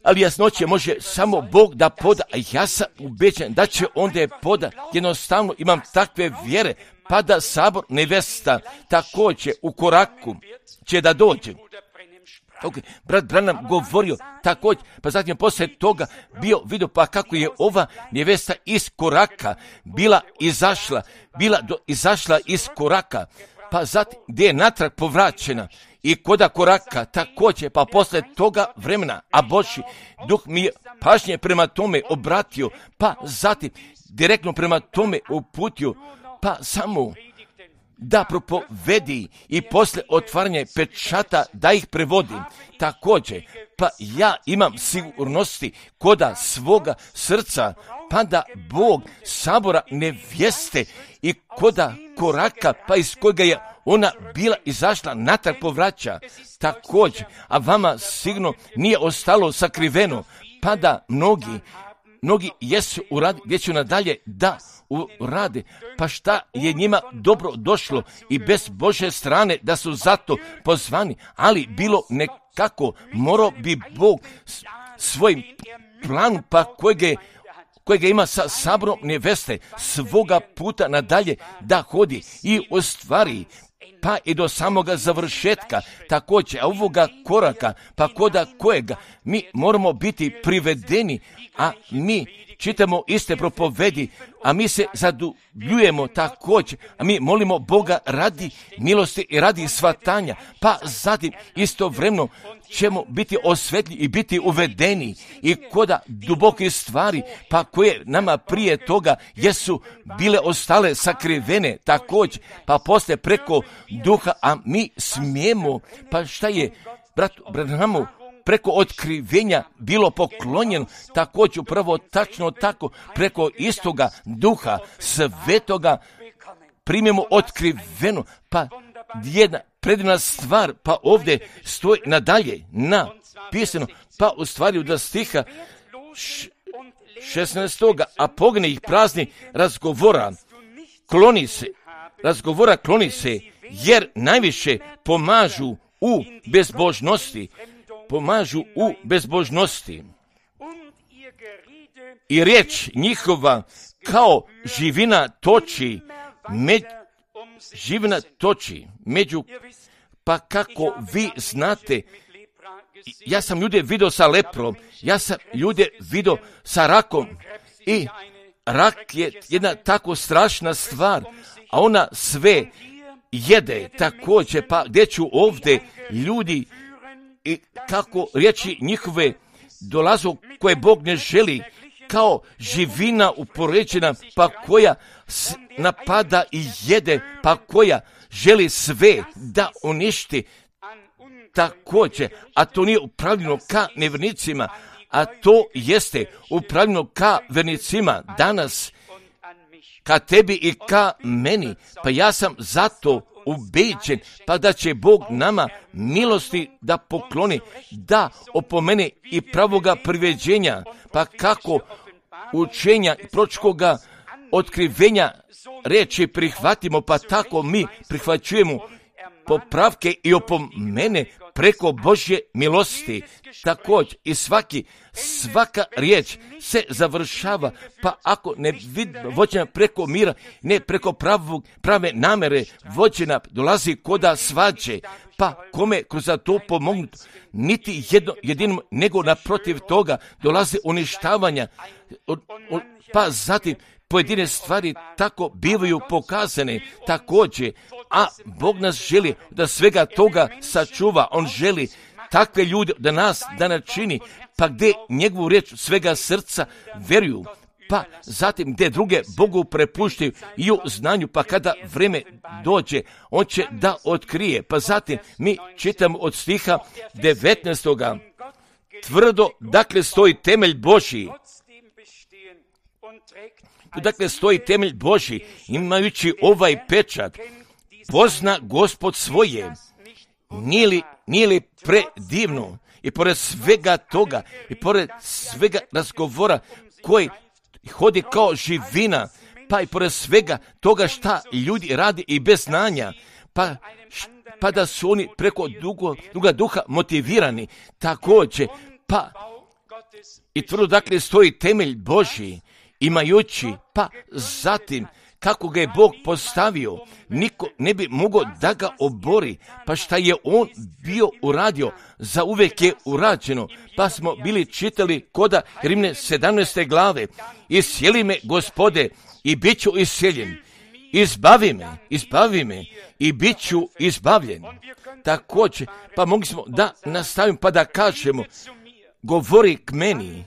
ali jasnoće može samo Bog da poda, a ja sam ubeđen da će onda je poda. Jednostavno imam takve vjere, pa da sabor nevesta također u koraku će da dođe. Okay. Brat Branham govorio također, pa zatim poslije toga vidio pa kako je ova nevesta iz koraka bila izašla iz koraka, pa zatim gdje je natrag povraćena i koda koraka također, pa poslije toga vremena, a Božji duh mi je pažnje prema tome obratio, pa zatim direktno prema tome uputio, pa samo da propovedi i poslije otvaranja pečata da ih prevodim. Također, pa ja imam sigurnosti koda svoga srca, pa da Bog sabora nevjeste i koda koraka, pa iz kojega je ona bila izašla, natrag povraća. Također, a vama sigurno nije ostalo sakriveno, pa da mnogi jesu uradi, gdje će nadalje da urade, pa šta je njima dobro došlo i bez Božje strane da su zato pozvani, ali bilo nekako, morao bi Bog svojim planom, pa kojega ima sa saborom neveste, svoga puta nadalje da hodi i ostvari, pa i do samoga završetka, također, a ovoga koraka, pa koda kojega mi moramo biti privedeni, a mi čitamo iste propovedi, a mi se zadubljujemo također, a mi molimo Boga radi milosti i radi svatanja, pa zatim istovremeno ćemo biti osvetljeni i biti uvedeni i koda duboke stvari, pa koje nama prije toga jesu bile ostale sakrivene također, pa poslije preko duha, a mi smijemo, pa šta je bratu Branhamu preko otkrivenja bilo poklonjeno, također upravo tačno tako, preko istoga duha svetoga primimo otkriveno, pa jedna predivna stvar, pa ovdje stoji nadalje napisano, pa u stvari od stiha 16. a pogni ih prazni razgovora kloni se, jer najviše pomažu u bezbožnosti. I riječ njihova kao živina toči živina toči među, pa kako vi znate, ja sam ljude vidio sa leprom, ja sam ljude vidio sa rakom i rak je jedna tako strašna stvar, a ona sve jede također, pa gdje ću ovdje ljudi i kako riječi njihove dolazu koje Bog ne želi, kao živina upoređena, pa koja napada i jede, pa koja želi sve da uništi također, a to nije upravljeno ka nevjernicima, a to jeste upravljeno ka vernicima danas, ka tebi i ka meni, pa ja sam zato ubeđen, pa da će Bog nama milosti da pokloni, da opomene i pravoga priveđenja, pa kako učenja i proročkoga otkrivenja reči prihvatimo, pa tako mi prihvaćujemo popravke i opomene preko Božje milosti. Također i svaka riječ se završava, pa ako ne vođena preko mira, ne preko prave namere vođena, dolazi koda svađe, pa kome kroz to pomognuti, niti jedinom, nego naprotiv toga dolazi uništavanja, pa zatim pojedine stvari tako bivaju pokazane također, a Bog nas želi da svega toga sačuva. On želi takve ljude da nas da načini, pa gdje njegovu riječ svega srca veruju, pa zatim gdje druge Bogu prepuštaju i u znanju, pa kada vreme dođe, on će da otkrije. Pa zatim mi čitamo od stiha 19. Tvrdo, dakle, stoji temelj Božji. Dakle, stoji temelj Božji, imajući ovaj pečat, pozna Gospod svoje. Nije li predivno? I pored svega toga, i pored svega razgovora koji hodi kao živina, pa i pored svega toga šta ljudi radi i bez znanja, pa da su oni preko druga duha motivirani također, pa i tvrdo dakle stoji temelj Božji, imajući, pa zatim kako ga je Bog postavio, niko ne bi mogao da ga obori, pa šta je on bio uradio, za uvijek je urađeno, pa smo bili čitali koda Rimne 17. glave, iscijeli me, Gospode, i bit ću iscijeljen, izbavi me i bit ću izbavljen. Također, pa mogli smo da nastavimo pa da kažemo, govori k meni,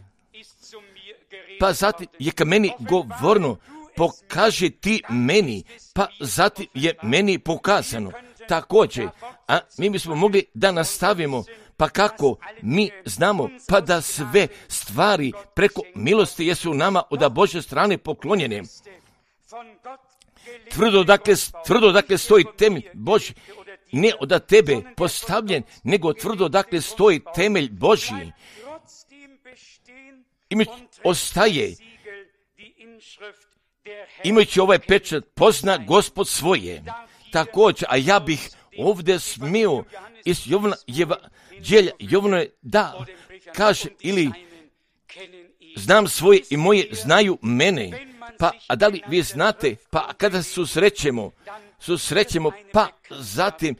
pa zatim je k meni govorno, pokaži ti meni, pa zatim je meni pokazano. Također, a mi bismo mogli da nastavimo, pa kako mi znamo, pa da sve stvari preko milosti jesu nama od Božje strane poklonjene. Tvrdo dakle stoji temelj Božji, ne od tebe postavljen, nego tvrdo dakle stoji temelj Božji. I ostaje, imajući ovaj pečat, pozna Gospod svoje. Također, a ja bih ovdje smio iz Jovana da kaže, ili znam svoje i moje znaju mene, pa a da li vi znate, pa kada susrećemo, pa zatim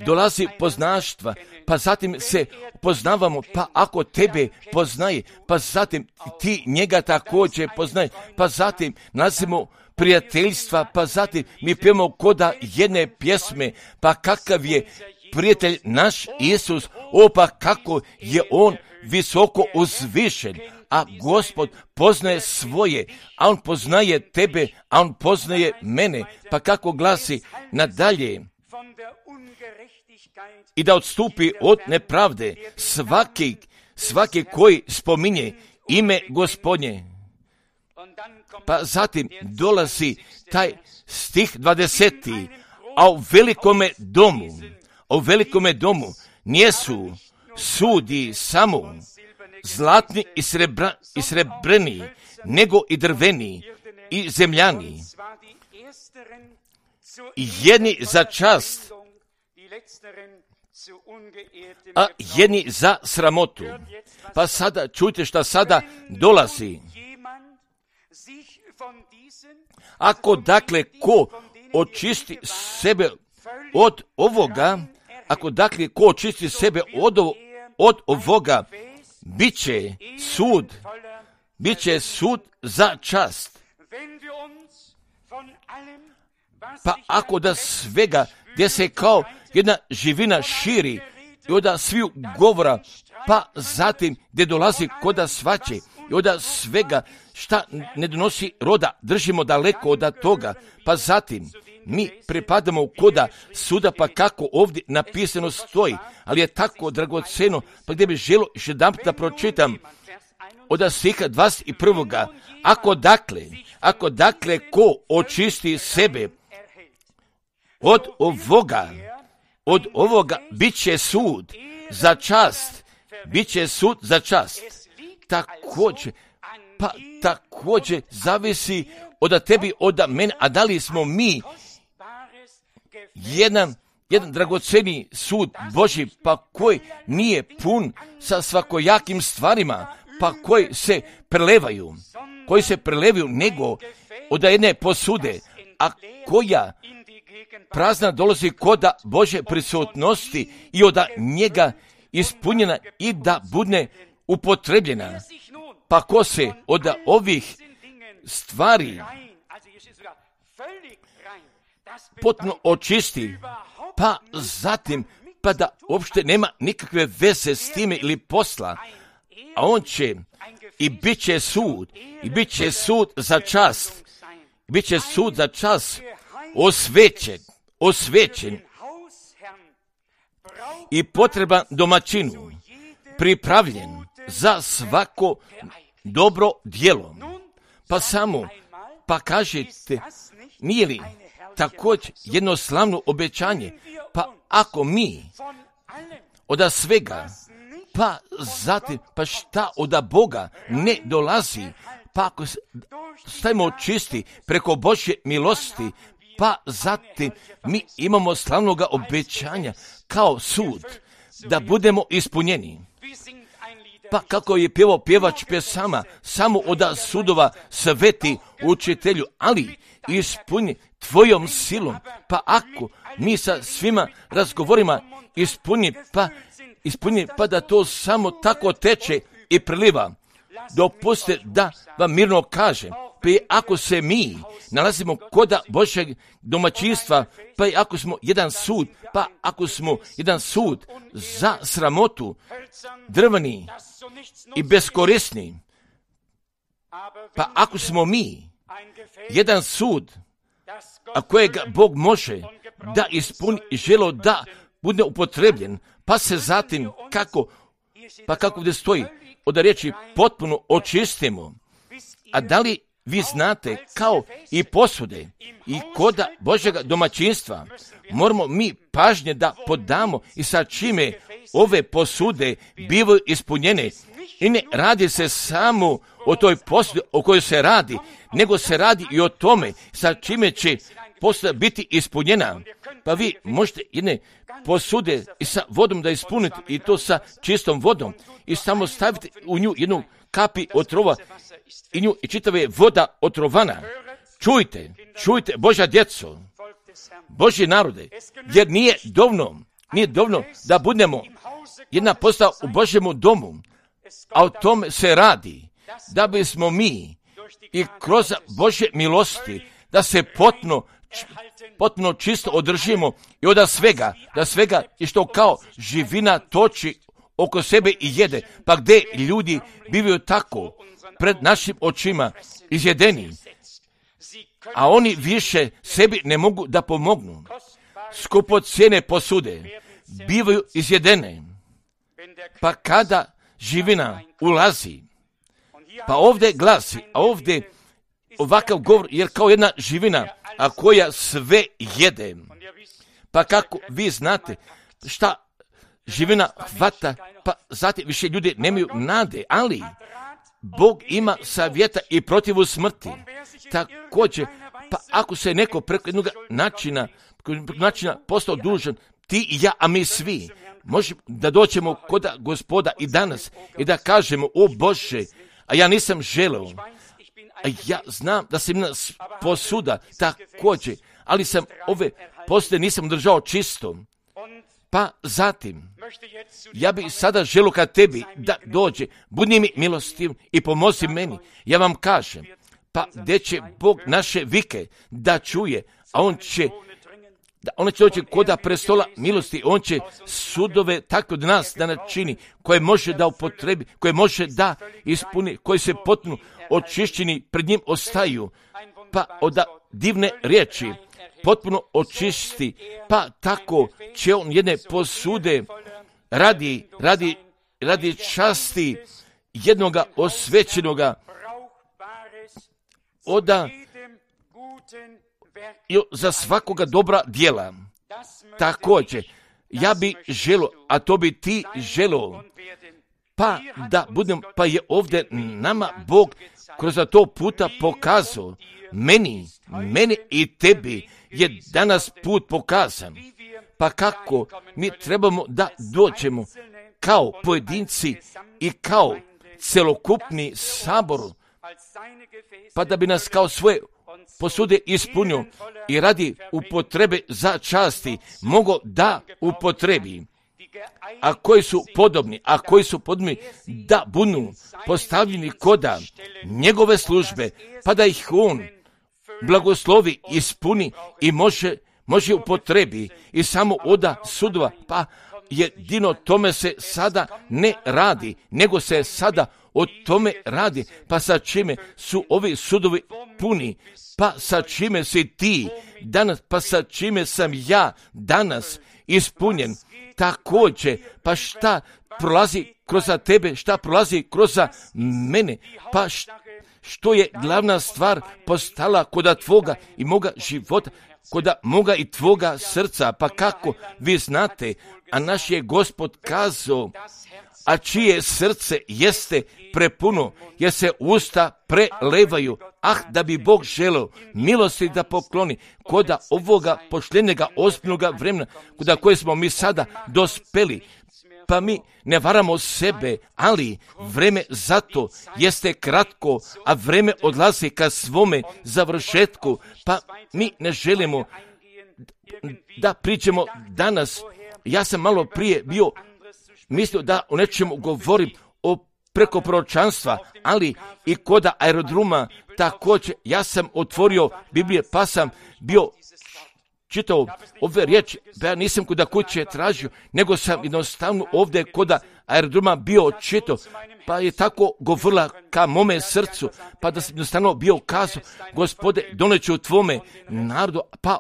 dolazi poznaštva, pa zatim se poznavamo, pa ako tebe poznaje, pa zatim ti njega također poznaje, pa zatim nalazimo prijateljstva, pa zatim mi pijemo koda jedne pjesme, pa kakav je prijatelj naš Isus, pa kako je on visoko uzvišen, a Gospod poznaje svoje, a on poznaje tebe, a on poznaje mene, pa kako glasi nadalje, i da odstupi od nepravde svaki koji spominje ime Gospodnje. Pa zatim dolazi taj stih 20. A u velikome domu nijesu sudi samo zlatni i srebrni, nego i drveni i zemljani, jedni za čast, a jedni za sramotu. Pa sada čujte šta sada dolazi. Ako dakle ko očisti sebe od ovoga, ako dakle ko očisti sebe od ovoga, bit će sud za čast. Pa ako da svega gdje se kao jedna živina širi i onda sviju govora, pa zatim gdje dolazi koda svaće i onda svega šta ne donosi roda, držimo daleko od toga, pa zatim mi pripadamo koda suda, pa kako ovdje napisano stoji, ali je tako dragoceno, pa gdje bi želo još jedanput da pročitam od stiha 21. Ako dakle ko očisti sebe od ovoga bit će sud za čast. Također zavisi od tebi, od mene, a da li smo mi jedan dragoceni sud Božji, pa koji nije pun sa svakojakim stvarima, pa koji se prelevaju nego od jedne posude, a koja prazna dolazi koda Božje prisutnosti i od njega ispunjena i da bude upotrebljena. Pa ko se od ovih stvari potpuno očisti, pa zatim pa da uopšte nema nikakve veze s time ili posla, a on će i bit će sud za čast, osvećen i potreban domaćinu, pripravljen za svako dobro djelo. Pa kažete, nije li također jedno slavno obećanje, pa ako mi od svega, pa zatim, pa šta od Boga ne dolazi, pa ako stajemo čisti preko Božje milosti, pa zatim mi imamo slavnoga obećanja kao sud, da budemo ispunjeni. Pa kako je pjevao pjevač pjesama, samo od sudova sveti učitelju, ali ispuni tvojom silom, pa ako mi sa svima razgovorima ispuni, pa da to samo tako teče i priliva. Dopustite da vam mirno kažem, pa i ako se mi nalazimo koda Božjeg domaćinstva, pa i ako smo jedan sud za sramotu, drveni i beskorisni, pa ako smo mi jedan sud, a kojega Bog može da ispuni i želo da bude upotrebljen, pa se zatim kako gdje stoji od riječi potpuno očistimo. A da li vi znate, kao i posude i koda Božjega domaćinstva, moramo mi pažnje da podamo i sa čime ove posude bivaju ispunjene. I ne radi se samo o toj posudi o kojoj se radi, nego se radi i o tome sa čime će posuda biti ispunjena. Pa vi možete jedne posude i sa vodom da ispunite, i to sa čistom vodom, i samo stavite u nju jednu kapi otrova i nju i čitava je voda otrovana. Čujte Božja djeco, Božji narode, jer nije dovoljno da budemo jedna postava u Božjemu domu, a o tome se radi, da bismo mi i kroz Božje milosti da se potpuno čisto održimo i od svega i što kao živina toči oko sebe i jede, pa gdje ljudi bivaju tako pred našim očima izjedeni, a oni više sebi ne mogu da pomognu. Skupocjene posude bivaju izjedene, pa kada živina ulazi, pa ovdje glasi, a ovdje ovakav govor, jer kao jedna živina, a koja sve jede. Pa kako vi znate šta živina hvata, pa zatim više ljudi nemaju nade, ali Bog ima savjeta i protivu smrti. Također, pa ako se neko preko jednog načina postao dužan, ti i ja, a mi svi, možemo da doćemo kod Gospoda i danas i da kažemo, o Bože, a ja nisam želeo, ja znam da sam nas posuda također, ali sam ove posude nisam držao čisto. Pa zatim, ja bih sada želio kad tebi da dođe, budi mi milostiv i pomozi meni. Ja vam kažem, pa gdje će Bog naše vike da čuje, a on će doći koda prestola milosti, on će sudove tako od nas da načini, koje može da upotrebi, koje može da ispuni, koji se potpuno očišćeni pred njim ostaju, pa od divne riječi potpuno očisti, pa tako će on jedne posude radi časti jednoga osvećenoga za svakoga dobra djela. Također, ja bi želio, a to bi ti želio, pa da budem, pa je ovdje nama Bog kroz to puta pokazao, meni i tebi je danas put pokazan. Pa kako mi trebamo da dođemo kao pojedinci i kao celokupni sabor, pa da bi nas kao svoje posude ispunio i radi upotrebe za časti mogo da upotrebi, a koji su podobni da budu postavljeni koda njegove službe, pa da ih on blagoslovi, ispuni i može upotrebi i samo oda sudova, pa jedino tome se sada ne radi, nego se sada o tome radi, pa sa čime su ovi sudovi puni, pa sa čime si ti danas, pa sa čime sam ja danas ispunjen, također, pa šta prolazi kroz tebe, šta prolazi kroz mene, pa što je glavna stvar postala koda tvoga i moga života, koda moga i tvoga srca, pa kako vi znate, a naš je Gospod kazao, a čije srce jeste prepuno, jer se usta prelevaju, da bi Bog želeo milosti da pokloni koda ovoga pošljenjega ozbiljnoga vremena, koda koje smo mi sada dospeli, pa mi ne varamo sebe, ali vreme zato jeste kratko, a vreme odlazi ka svome završetku, pa mi ne želimo da pričamo danas. Ja sam malo prije bio mislio da o nečemu govorim preko proročanstva, ali i koda aerodroma također ja sam otvorio Biblije, pa sam bio čitao ove riječi, pa ja nisam koda kuće tražio, nego sam jednostavno ovdje koda aerodroma bio čitao, pa je tako govorila ka mome srcu, pa da sam jednostavno bio kazao, Gospode, doneću tvome narodu, pa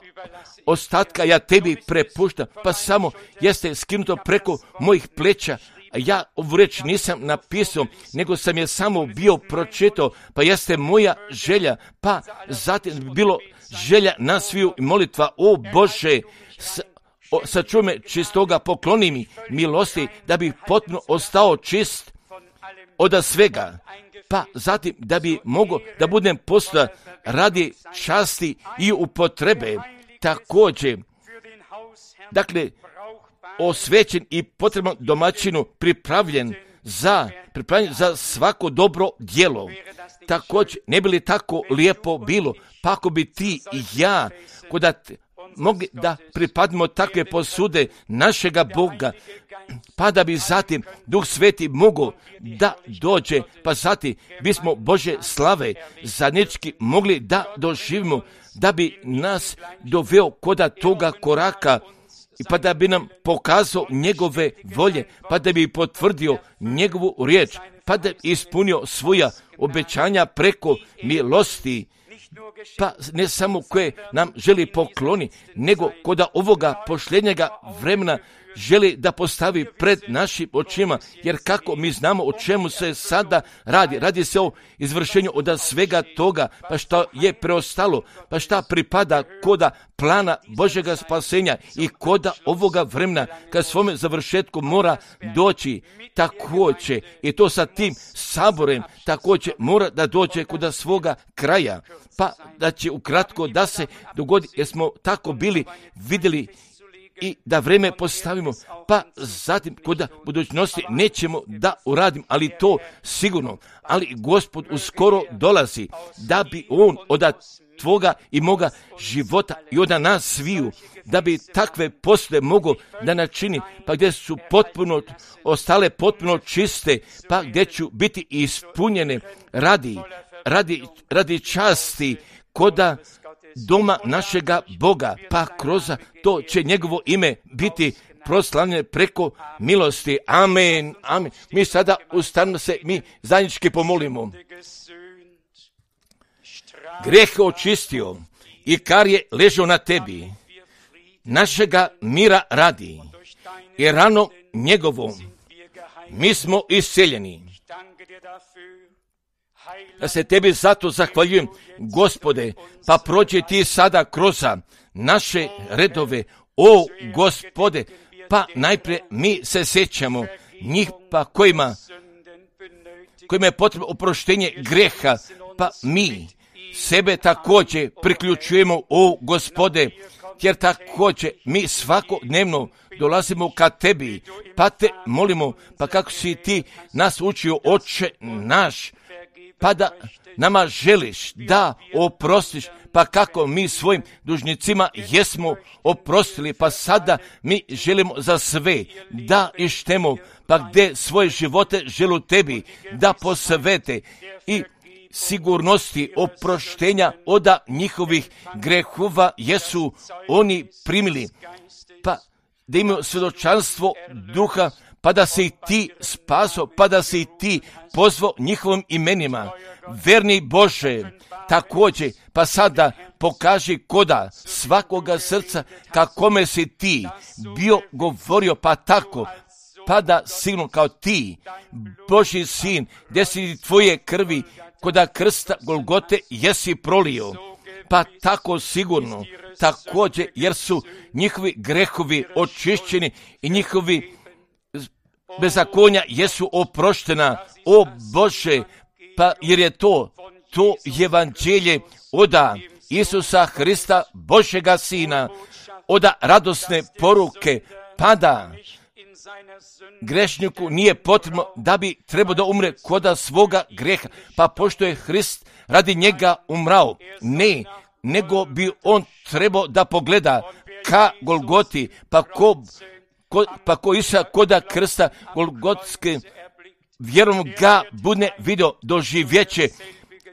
ostatka ja tebi prepuštam, pa samo jeste skinuto preko mojih pleća. Ja ovu reč nisam napisao, nego sam je samo bio pročitao, pa jeste moja želja, pa zatim bilo želja na sviju molitva, o Bože, sačuvaj me čistoga, pokloni mi milosti, da bi potpuno ostao čist od svega, pa zatim da bi mogao da budem postojan radi časti i upotrebe, također, dakle, osvećen i potreban domaćinu pripravljen za svako dobro djelo. Također, ne bi li tako lijepo bilo, pa ako bi ti i ja mogli da pripadimo takve posude našega Boga, pa da bi zatim Duh Sveti mogao da dođe, pa zatim bismo Bože slave zajednički mogli da doživimo, da bi nas doveo koda toga koraka, pa da bi nam pokazao njegove volje, pa da bi potvrdio njegovu riječ, pa da bi ispunio svoja obećanja preko milosti, pa ne samo koje nam želi pokloni, nego koda ovoga pošljenjega vremena želi da postavi pred našim očima, jer kako mi znamo o čemu se sada radi se o izvršenju od svega toga, pa što je preostalo, pa šta pripada koda plana Božjega spasenja i koda ovoga vremena kad svome završetku mora doći, također i to sa tim saborem također mora da dođe koda svoga kraja, pa da će ukratko da se dogodi, jer smo tako bili vidjeli i da vreme postavimo, pa zatim kod budućnosti nećemo da uradim, ali to sigurno. Ali Gospod uskoro dolazi da bi On od tvoga i moga života i od nas sviju, da bi takve posle mogo da načini, pa gdje su ostale potpuno čiste, pa gdje ću biti ispunjene radi časti koda doma našega Boga, pa kroz to će njegovo ime biti proslavljeno preko milosti. Amen, amen. Mi sada ustanimo se, mi zajednički pomolimo. Greh očistio i kar je ležao na tebi, našega mira radi i rano njegovom mi smo isceljeni. Ja se tebi zato zahvaljujem, Gospode, pa prođi ti sada kroz naše redove, o Gospode, pa najprije mi se sjećamo njih pa kojima je potrebno oproštenje greha, pa mi sebe također priključujemo, o Gospode, jer također mi svakodnevno dolazimo ka tebi, pa te molimo, pa kako si ti nas učio, Oče naš, pa da nama želiš da oprostiš, pa kako mi svojim dužnicima jesmo oprostili, pa sada mi želimo za sve da ištemo, pa gdje svoje živote želu tebi da posvete i sigurnosti oproštenja od njihovih grehova jesu oni primili, pa da imaju svjedočanstvo duha, pa da se i ti spaso, pa da se i ti pozvao njihovim imenima. Verni Bože, također, pa sada pokaži koda svakoga srca kakome si ti bio govorio, pa tako, pa da sigurno kao ti, Božji sin, gdje si tvoje krvi koda krsta Golgote jesi prolio, pa tako sigurno, također, jer su njihovi grehovi očišćeni i njihovi bezakonja jesu oproštena, o Bože, pa jer je to evanđelje od Isusa Hrista, Božjega Sina, od radosne poruke, pa da grešniku nije potrebno da bi trebao da umre koda svoga greha, pa pošto je Hrist radi njega umrao, ne, nego bi on trebao da pogleda ka Golgoti, pa ko Isa koda krsta Golgotske, vjerom ga bude vidio doživjeće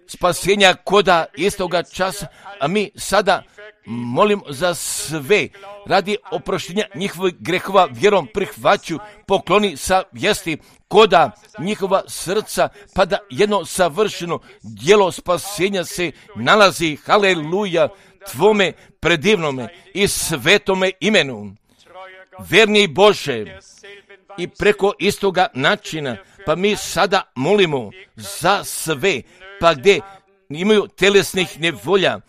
spasenja koda istoga časa, a mi sada molim za sve radi oproštenja njihovih grehova, vjerom prihvaću, pokloni sa vijesti koda njihova srca, pa da jedno savršeno djelo spasenja se nalazi, haleluja, tvome predivnome i svetome imenu. Verni Bože, i preko istoga načina, pa mi sada molimo za sve, pa gdje imaju telesnih nevolja,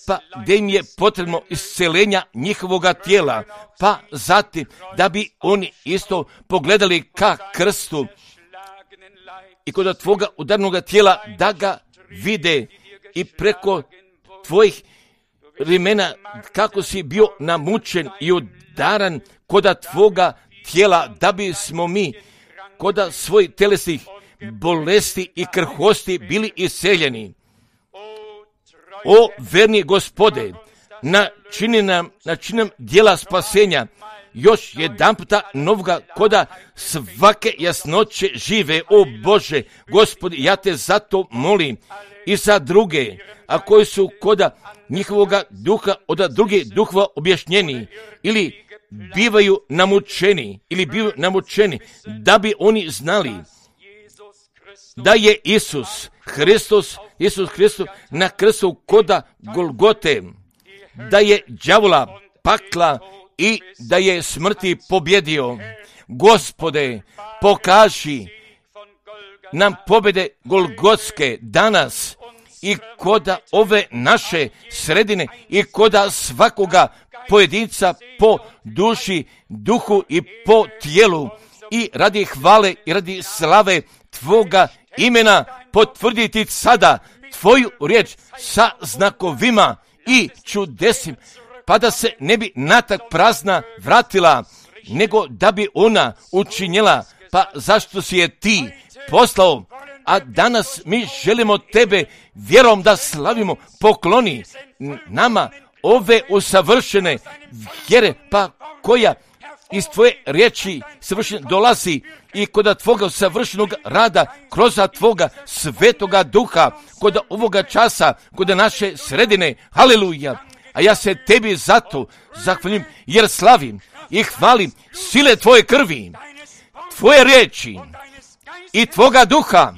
pa gdje im je potrebno isceljenja njihovoga tijela, pa zatim da bi oni isto pogledali ka krstu i kod tvoga udarnoga tijela da ga vide i preko tvojih rimena kako si bio namučen i udaran koda tvoga tijela, da bismo mi koda svojih telesnih bolesti i krhosti bili isceljeni. O verni Gospode, načini nam djela spasenja, još jedan puta novoga koda svake jasnoće žive, o Bože, Gospodi, ja te zato molim i za druge, a koji su koda njihovoga duha od drugih duhova objašnjeni ili bivaju namučeni, da bi oni znali da je Isus Hristos na krstu koda Golgote, da je đavola pakla i da je smrti pobjedio. Gospode, pokaži nam pobjede Golgotske danas i koda ove naše sredine i koda svakoga pojedinca po duši, duhu i po tijelu i radi hvale i radi slave tvoga imena potvrditi sada tvoju riječ sa znakovima i čudesim, pa da se ne bi natak prazna vratila, nego da bi ona učinjela, pa zašto si je ti poslao, a danas mi želimo tebe vjerom da slavimo, pokloni nama ove usavršene vjere, pa koja iz tvoje riječi savršeno dolazi i kod tvoga savršenog rada, kroz tvoga svetoga duha, kod ovoga časa, kod naše sredine, haleluja. A ja se tebi zato zahvalim, jer slavim i hvalim sile tvoje krvi, tvoje riječi i tvoga duha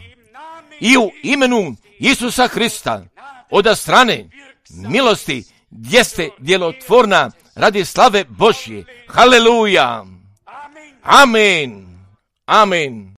i u imenu Isusa Hrista od strane milosti jeste djelotvorna radi slave Božje. Haleluja. Amen. Amen.